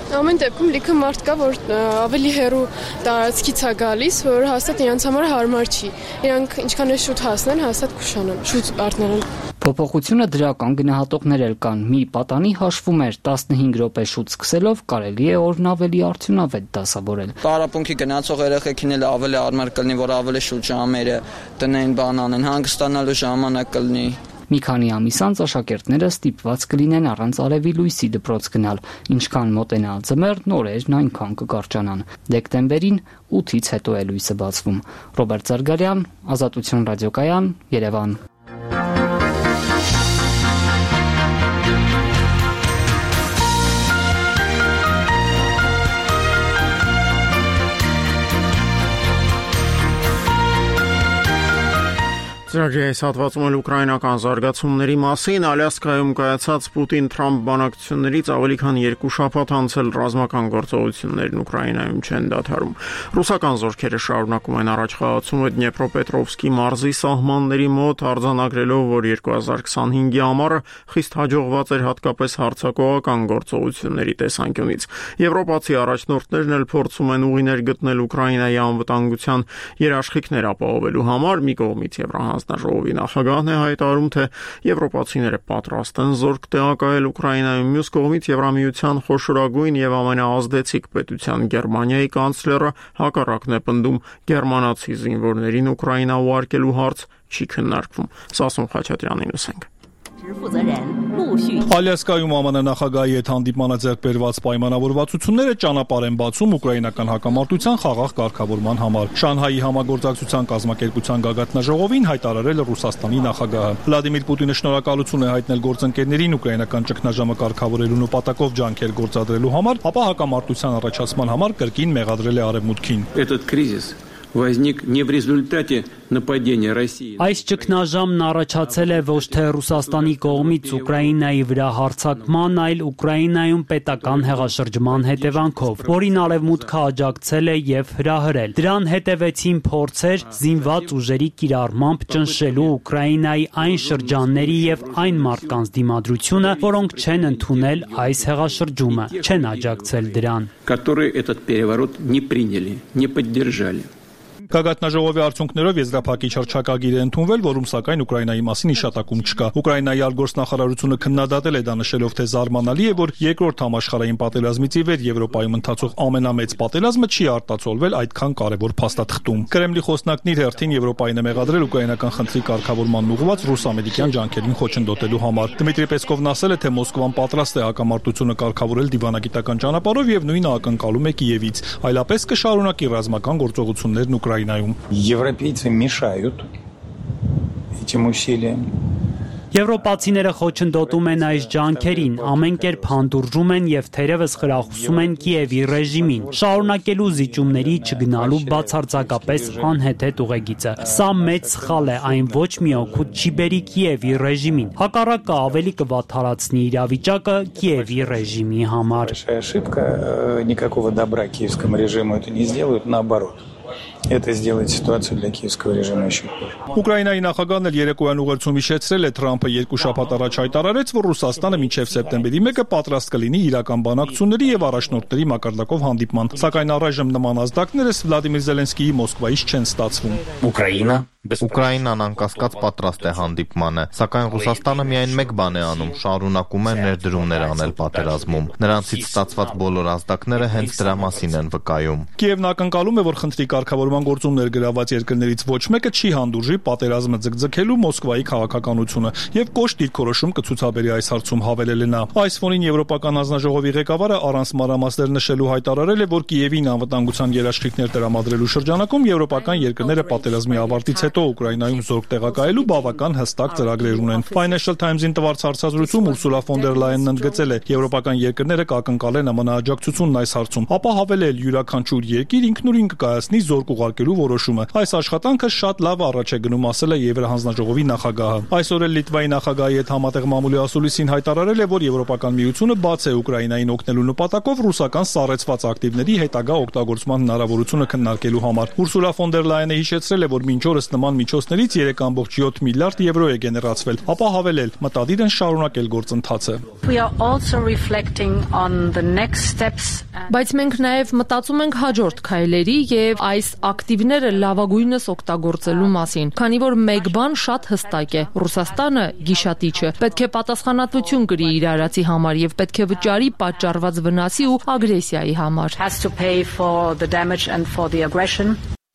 Ամեն դեպքում լիքը մարդ կա, որ ավելի հեռու տարածքից է գալիս, որ հաստատ իրենց համար հարմար չի։ Իրանք ինչքան է շուտ հասնեն, հաստատ կուշանան, շուտ արթնանան։ Փոփոխությունը դրական գնահատողներ էլ կան։ Մի պատանի հաշվում էր 15 րոպե շուտ սկսելով կարելի է օրն ավելի արդյունավետ դասավորել։ Տարապունքի գնացող երեխեքին էլ ավելի արմար կլինի, որ ավելի շուտ ժամերը տնեն բան անեն, հանգստանալու ժամանակ կլինի։ Մի քանի ամիս անց աշակերտները ստիպված կլինեն առանց արևի լույսի դպրոց գնալ։ Ինչքան մոտենա ձմեռն, օրերն այնքան կկարճանան։ Դեկտեմբերին 8-ից հետո է լույսը բացվում։ Ռոբերտ Զարգարյան, Ազատություն ռադիոկայան, Երևան։ Ծրագրի այս հատվածում էլ ուկրաինական զարգացումների մասին Ալյասկայում կայացած Պուտին-Թրամփ բանակցություններից ավելի քան 2 շաբաթ անցել ռազմական գործողություններն Ուկրաինայում չեն դադարում։ Ռուսական զորքերը շարունակում են առաջխաղացումը Դնեպրոպետրովսկի մարզի սահմանների մոտ, արձանագրելով, որ 2025-ի ամառը խիստ հաջողված էր հատկապես հարձակողական գործողությունների տեսանկյունից։ Եվրոպացի առաջնորդներն էլ փորձում են ուղիներ գտնել Ուկրաինայի անվտանգության երաշխիքներ ապահովելու համար, մի կողմից հանձնաժողովի նախագահն է հայտարարում, թե եվրոպացիները պատրաստ են զորք տեղակայել Ուկրաինայում։ Մյուս կողմից Եվրամիության խոշորագույն եւ ամենաազդեցիկ պետության Գերմանիայի կանցլերը հակառակն է պնդում, գերմանացի զինվորներին Ուկրաինա ուղարկելու հարց չի քննարկվում։ Սասուն Խաչատրյանին լսենք։ Ալյասկայում ԱՄՆ նախագահի հետ հանդիպմանը ձեռք բերված պայմանավորվածությունները ճանապարհ են բացում ուկրաինական հակամարտության խաղաղ կարգավորման համար։ Շանհայի համագործակցության կազմակերպության գագաթնաժողովին հայտարարել է Ռուսաստանի նախագահը։ Վլադիմիր Պուտինը շնորհակալություն է հայտնել գործընկերներին ուկրաինական ճգնաժամը կարգավորելու նպատակով ջանքեր գործադրելու համար, ապա հակամարտության առաջացման համար կրկին մեղադրել է Արևմուտքին։ возник не в результате нападения России. Այս ճգնաժամն առաջացել է ոչ թե Ռուսաստանի կողմից Ուկրաինայի վրա հարձակման, այլ Ուկրաինայում պետական հեղաշրջման հետևանքով, որին Արևմուտքը աջակցել է եւ հրահրել։ Դրան հետևեցին փորձեր զինված ուժերի կիրառմամբ ճնշելու Ուկրաինայի այն շրջանների եւ այն մարդկանց դիմադրությունը, որոնք չեն ընդունել այս հեղաշրջումը, չեն աջակցել դրան, которые этот переворот не приняли, не поддержали. Գագաթնաժողովի արդյունքներով եզրափակիչ հռչակագիր է ընդունվել, որում սակայն Ուկրաինայի մասին հիշատակում չկա։ Ուկրաինայի արտգործնախարարությունը քննադատել է դա նշելով, թե զարմանալի է, որ երկրորդ համաշխարհային պատերազմից ի վեր Եվրոպայում ընթացող ամենամեծ պատերազմը չի արտացոլվել այդքան կարևոր փաստաթղթում։ Կրեմլի խոսնակն իր հերթին Եվրոպային է մեղադրել ուկրաինական խնդրի կարգավորման ուղղված ռուս-ամերիկյան ջանքերին խոչընդոտելու համար։ Դմիտրի Պեսկովն ասել է, թե Մոսկվան պատրաստ է հակամարտությունը կարգավորել դիվանագիտական ճանապարհով եւ նույնը ակնկալում է Կիևից, այլապես կշարունակի ռազմական գործողություններն Ուկրաինայում։ Европейцы мешают этим усилиям. Եվրոպացիները խոչընդոտում են այս ջանքերին, ամեն կերպ հանդուրժում են եւ թերևս խրախուսում են Կիևի ռեժիմին, շարունակելու զիջումների չգնալու բացարձակապես անհեթեթ ուղեգիծը։ Սա մեծ սխալ է, այն ոչ մի օգուտ չի բերի Կիևի ռեժիմին։ Հակառակը ավելի կվատթարացնի իրավիճակը Կիևի ռեժիմի համար։ Ошибка, никакого добра киевскому режиму это не сделают, наоборот. Это сделает ситуацию для киевского режима еще хуже. Ուկրաինայի նախագահն էլ երեկոյան ուղերձում հիշեցրել է Թրամփը երկու շաբաթ առաջ հայտարարեց, որ Ռուսաստանը մինչև սեպտեմբերի 1-ը պատրաստ կլինի իրական բանակցությունների եւ առաջնորդների մակարդակով հանդիպման։ Սակայն առայժմ նման ազդակները Վլադիմիր Զելենսկիի Մոսկվայից չեն ստացվում։ Ուկրաինան անկասկած պատրաստ է հանդիպմանը, սակայն Ռուսաստանը միայն մեկ բան է անում՝ շարունակում է ներդրումներ անել պատերազմում։ Նրանցից ստացված բոլոր ազդակները հենց դրա մասին են վկայում։ Կիևն ակնկալում է, որ խնդրի կարգավորման գործումներ գրաված երկրներից ոչ մեկը չի հանդուրժի պատերազմը ձգձգելու Մոսկվայի քաղաքականությունը եւ կոշտ դիրքորոշում կցուցաբերի այս հարցում, հավելել է նա։ Այս ֆոնին Եվրոպական հանձնաժողովի ղեկավարը առանց մանրամասներ նշելու հայտարարել է, որ Կիևին անվտանգության երաշխիքներ տրամադրելու շրջանակում եվրոպական երկրները պատերազմի ավարտից հետո Ուկրաինայում զորք տեղակայելու բավական հստակ ծրագրեր ունեն։ Financial Times-ին տված հարցազրույցում Ուրսուլա ֆոն դեր Լայենն ընդգծել է, եվրոպական երկրները կակնկալեն ԱՄՆ աջակցությունն այս հարցում, ապա հավելել յուրաքանչյուր երկիր ինքնուրույն կկայացնի զորք ուղարկելու որոշումը։ Այս աշխատանքը շատ լավ առաջ է գնում, ասել է Եվրահանձնաժողովի նախագահը։ Այսօր էլ Լիտվայի նախագահի հետ համատեղ մամուլի ասուլիսին հայտարարել է, որ Եվրոպական միությունը բաց է Ուկրաինային օգնելու նպատակով ռուսական սառեցված ակտիվների հետագա օգտագործման հնարավորությունը քննարկելու համար։ Ուրսուլա ֆոն դեր Լայենը հիշեցրել է, որ մինչ օրս նման միջոցներից 3.7 միլիարդ եվրո է գեներացվել, ապա հավելել՝ մտադիր են շարունակել գործընթացը։ Բայց մենք նաև մտածում ենք հաջորդ քայլերի եւ այս ակտիվները լավագույնս օգտագործելու մասին, քանի որ մեկ բան շատ հստակ է՝ Ռուսաստանը գիշատիչը պետք է պատասխանատվություն կրի իր արածի համար եւ պետք է վճարի պատճառված վնասի ու ագրեսիայի համար։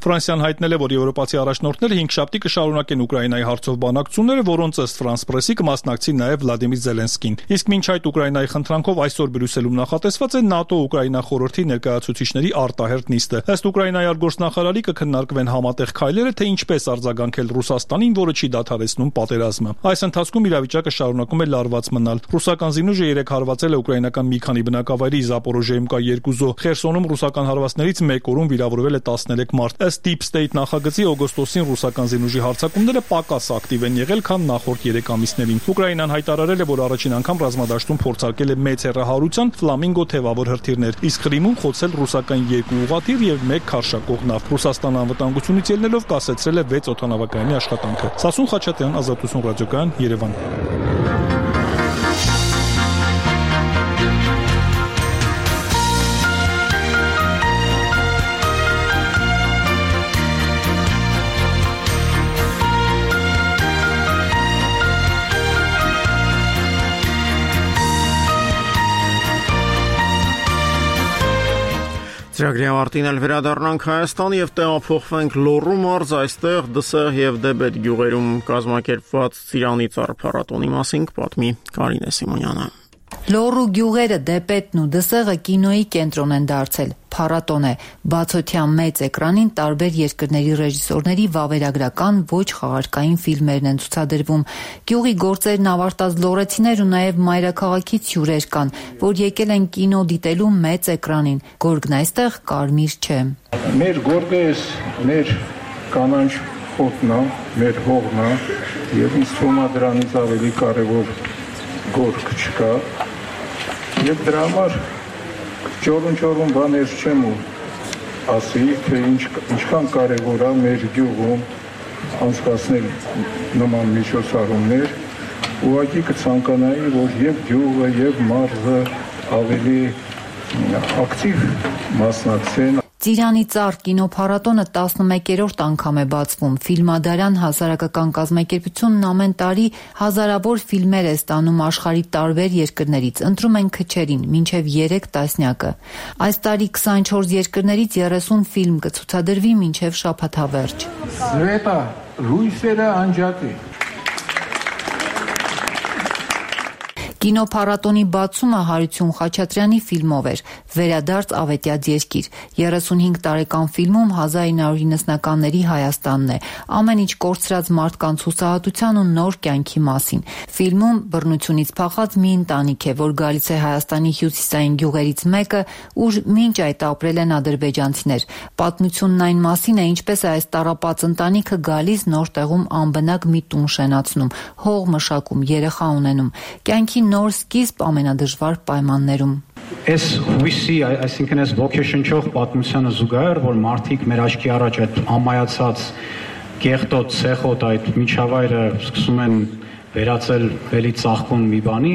Ֆրանսիան հայտնել է, որ եվրոպացի առաջնորդները հինգշաբթի կշարունակեն Ուկրաինայի հարցով բանակցությունները, որոնց ըստ Ֆրանս պրեսի կմասնակցի նաև Վլադիմիր Զելենսկին։ Իսկ մինչ այդ Ուկրաինայի խնդրանքով այսօր Բրյուսելում նախատեսված է ՆԱՏՕ-Ուկրաինա խորհրդի ներկայացուցիչների արտահերթ նիստը։ Ըստ Ուկրաինայի արտգործնախարարի կքննարկվեն համատեղ քայլերը, թե ինչպես արձագանքել Ռուսաստանին, որը չի դադարեցնում պատերազմը։ Այս ընթացքում իրավիճակը շարունակում է լարված մնալ։ Ռուսական զինուժը 3 հարվածել է ուկրաինական մի քանի բնակավայրի, Զապորոժիայում կա 2 զոհ, Խերսոնում ռուսական հարվածներից 1 օրում վիրավորվել է 13 մարդ։ Deep State նախագծի օգոստոսին ռուսական զինուժի հարձակումները պակաս ակտիվ են եղել, քան նախորդ 3 ամիսներին։ Ուկրաինան հայտարարել է, որ առաջին անգամ ռազմադաշտում փորձարկել է մեծ հեռահարության ֆլամինգո թևավոր հրթիռներ, իսկ Ղրիմում խոցել ռուսական 2 ուղղաթիռ եւ 1 քարշակող նավ։ Ռուսաստանը անվտանգությունից ելնելով կասեցրել է 6 օդանավակայանի աշխատանքը։ Սասուն Խաչատրյան, Ազատություն ռադիոկայան, Երևան։ Ծրագրի ավարտին էլ վերադառնանք Հայաստան եւ տեղափոխվենք Լոռու մարզ, այստեղ Դսեղ եւ Դեբետ գյուղերում կազմակերպված Ծիրանի ծառ փառատոնի մասին կպատմի Կարինե Սիմոնյանը։ Լոռու գյուղերը, Դեպետն ու Դսեղը կինոյի կենտրոն են դարձել։ Փառատոն է, բացօթյա մեծ էկրանին տարբեր երկրների ռեժիսորների վավերագրական ոչ խաղարկային ֆիլմերն են ցուցադրվում։ Գյուղի գործերն ավարտած լոռեցիներ ու նաև մայրաքաղաքից հյուրեր կան, որ եկել են կինո դիտելու մեծ էկրանին։ Գորգն այստեղ կարմիր չէ։ Մեր գորգը էս մեր կանանչ խոտն է, մեր հողն է, եւ ինձ թվում է դրանից ավելի կարևոր գորգ չկա։ Եվ դրա համար ճորուն բաներ չեմ ու ասի, թե ինչքան կարևոր է մեր գյուղում անցկացնել նման միջոցառումներ, ուղղակի կցանկանայի, որ եւ գյուղը եւ մարզը ավելի ակտիվ մասնակցեն։ Ծիրանի ծառ կինոփառատոնը 11-րդ անգամ է բացվում։ Ֆիլմադարան հասարակական կազմակերպությունն ամեն տարի հազարավոր ֆիլմեր է ստանում աշխարհի տարբեր երկրներից, ընտրում են քչերին, մինչև 3 տասնյակը։ Այս տարի 24 երկրներից 30 ֆիլմ կցուցադրվի մինչև շաբաթավերջ։ Սվետա, լույսերը անջատի։ Կինոփառատոնի բացումը Հարություն Խաչատրյանի ֆիլմով էր «Վերադարձ ավետյաց երկիր»։ 35 տարեկան ֆիլմում 1990-ականների Հայաստանն է, ամեն ինչ կորցրած մարդկանց հուսահատության ու նոր կյանքի մասին։ Ֆիլմում բռնությունից փախած մի ընտանիք է, որ գալիս է Հայաստանի հյուսիսային գյուղերից մեկը, ուր մինչ այդ ապրել են ադրբեջանցիներ։ Պատմությունն այն մասին է, ինչպես է այս տառապած ընտանիքը գալիս նոր տեղում անբնակ մի տուն շենացնում, հող մշակում, երեխա ունենում։ Կյանքի նոր սկիզբ ամենադժվար պայմաններում։ Այս հույսի, այսինքն այս ոգեշնչող պատմությանը զուգահեռ, որ մարդիկ մեր աչքի առաջ այդ ամայացած կեղտոտ, ցեխոտ այդ միջավայրը սկսում են վերածել բելի ծաղկուն մի բանի,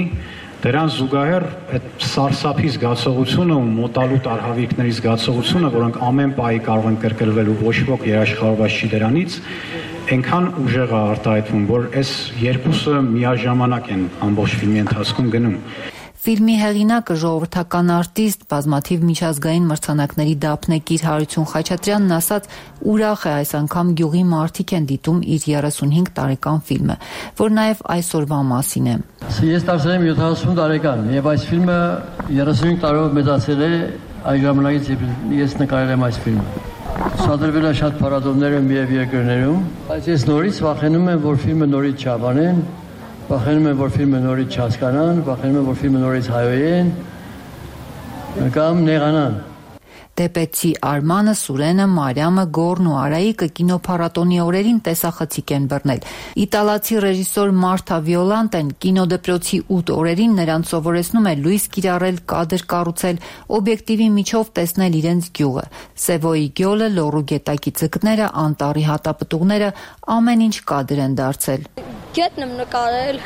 դրան զուգահեռ այդ սարսափի զգացողությունը ու մոտալու տարհավիրքների զգացողությունը, որոնք ամեն պահի կարող են կրկնվել ու ոչ ոք երաշխավորված չի դրանից, այնքան ուժեղ է արտահայտվում, որ այս երկուսը միաժամանակ են ամբողջ ֆիլմի ընթացքում գնում։ Ֆիլմի հեղինակը ժողովրդական արտիստ, բազմաթիվ միջազգային մրցանակների դափնեկիր Հարություն Խաչատրյանն ասաց, ուրախ է այս անգամ գյուղի մարդիկ են դիտում իր 35 տարեկան ֆիլմը, որ նաև այսօրվա մասին է։ Ես դարձել եմ 70 տարեկան եւ այս ֆիլմը 35 տարով մեծացել է այս ժամանակից, երբ ես նկարել եմ այս ֆիլմը։ Ցուցադրվել է շատ փառատոներում եւ երկրներում, բայց ես նորից վախենում եմ, որ ֆիլմը նորից չավանեն, վախենում եմ, որ ֆիլմը նորից չհասկանան, վախենում եմ, որ ֆիլմը նորից հայոյեն կամ նեղանան։ Դեպեցի Արմանը, Սուրենը, Մարիամը, Գորն ու Արայիկը կինոփառատոնի օրերին տեսախցիկ են բռնել։ Իտալացի ռեժիսոր Մարթա Վիոլանտեն կինոդպրոցի 8 օրերին նրանց սովորեցնում է լույս կիրառել, կադր կառուցել, օբյեկտիվի միջով տեսնել իրենց գյուղը։ Սևոյի գյոլը, Լոռու գետակի ձկները, Անտառի հատապտուղները ամեն ինչ կադր են դարձել։ Գետն եմ նկարել,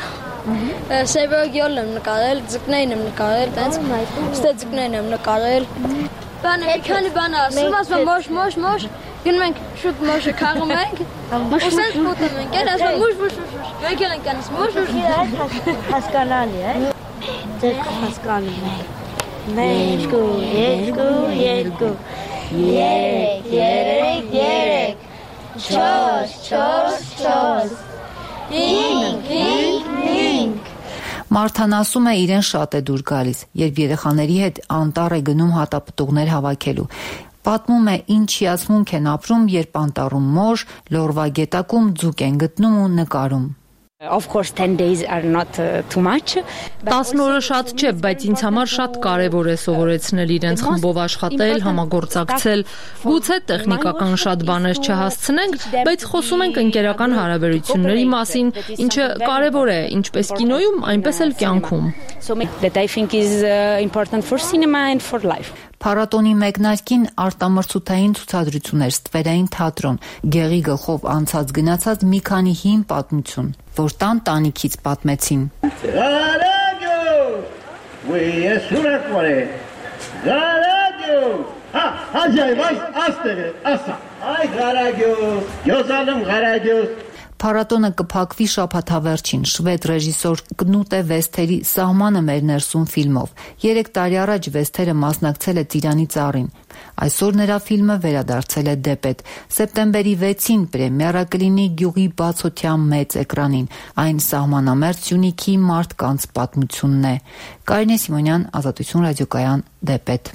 Սևոյի գյոլն եմ նկարել, ձկներն եմ նկարել, տենց ստե ձկներն եմ նկարել։ Բանը քանի բան ասում, ասում մոշ, գնում ենք շուտ մոշը քաղում ենք, ուսենց մոտում ենք, ասում մուշ, մենք ենք անես մուշ, հասկանալի է, ձեր հասկանում եք, 1, 2, 3, 4, 5 Մարթան ասում է իրեն շատ է դուր գալիս, երբ երեխաների հետ անտառ է գնում հատապտուղներ հավաքելու։ Պատմում է ինչ հիացմունք են ապրում, երբ անտառում մոշ, Լոռվա գետակում ձուկ են գտնում ու նկարում։ Of course 10 days are not too much. 10 օրը շատ չէ, բայց ինձ համար շատ կարևոր է սովորեցնել իրենց խմբով աշխատել, համագործակցել։ Գուցե տեխնիկական շատ բաներ չհասցնենք, բայց խոսում ենք ընկերական հարաբերությունների մասին, ինչը կարևոր է ինչպես կինոյում, այնպես էլ կյանքում։ So that I think is important for cinema and for life. Փառատոնի մեկնարկին արտամրցութային ցուցադրություն էր Ստվերային թատրոն, Գեղի գլխով անցած գնացած մի քանի հին պատմություն, որ տան տանիքից պատմեցին։ Փառատոնը կփակվի շաբաթավերջին շվեդ ռեժիսոր Կնուտե Վեսթերի «Սահմանը մեր ներսում» ֆիլմով։ 3 տարի առաջ Վեսթերը մասնակցել է Ծիրանի ծառին։ Այսօր նրա ֆիլմը վերադարձել է դեպետ։ Սեպտեմբերի 6-ին պրեմիերա կլինի գյուղի բացօթյա մեծ էկրանին։ Այն սահմանամերձ Սյունիքի մարդկանց պատմությունն է։ Կարինե Սիմոնյան, Ազատություն ռադիոկայան, դեպետ։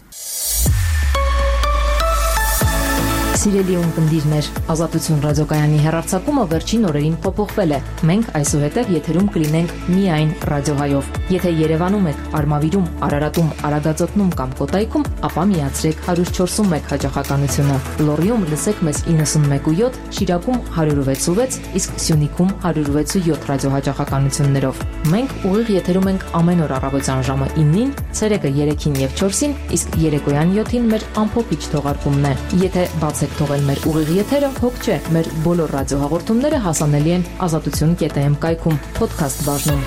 Սիրելի ունկնդիրներ, Ազատություն ռադիոկայանի հեռարձակումը վերջին օրերին փոփոխվել է։ Մենք այսուհետև եթերում կլինենք միայն ռադիոհայով։ Եթե Երևանում եք, Արմավիրում, Արարատում, Արագածոտնում կամ Կոտայքում, ապա միացրեք 104.1 հաճախականությունը։ Լոռիում լսեք մեզ 91.7, Շիրակում 106.6, իսկ Սյունիքում 106.7 ռադիոհաճախականություններով։ Մենք ուղիղ եթերում ենք ամեն օր առավոտյան ժամը 9-ին, ցերեկը 3-ին եւ 4-ին, իսկ երեկոյան 7-ին մեր ամփոփիչ թողարկումն է։ Եթե բացեք թողել մեր ուղիղ եթերը, հոգ չէ, մեր բոլոր ռադիոհաղորդումները հասանելի են azatutun.am կայքում, podcast բաժնում։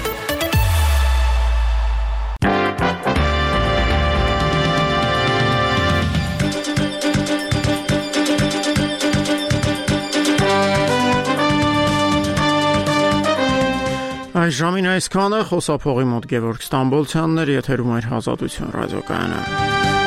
Այս ժամին այսքանը, խոսափողի մոտ Գևորգ Ստամբոլցյանն էր, եթերում էր Ազատություն ռադիոկայանը։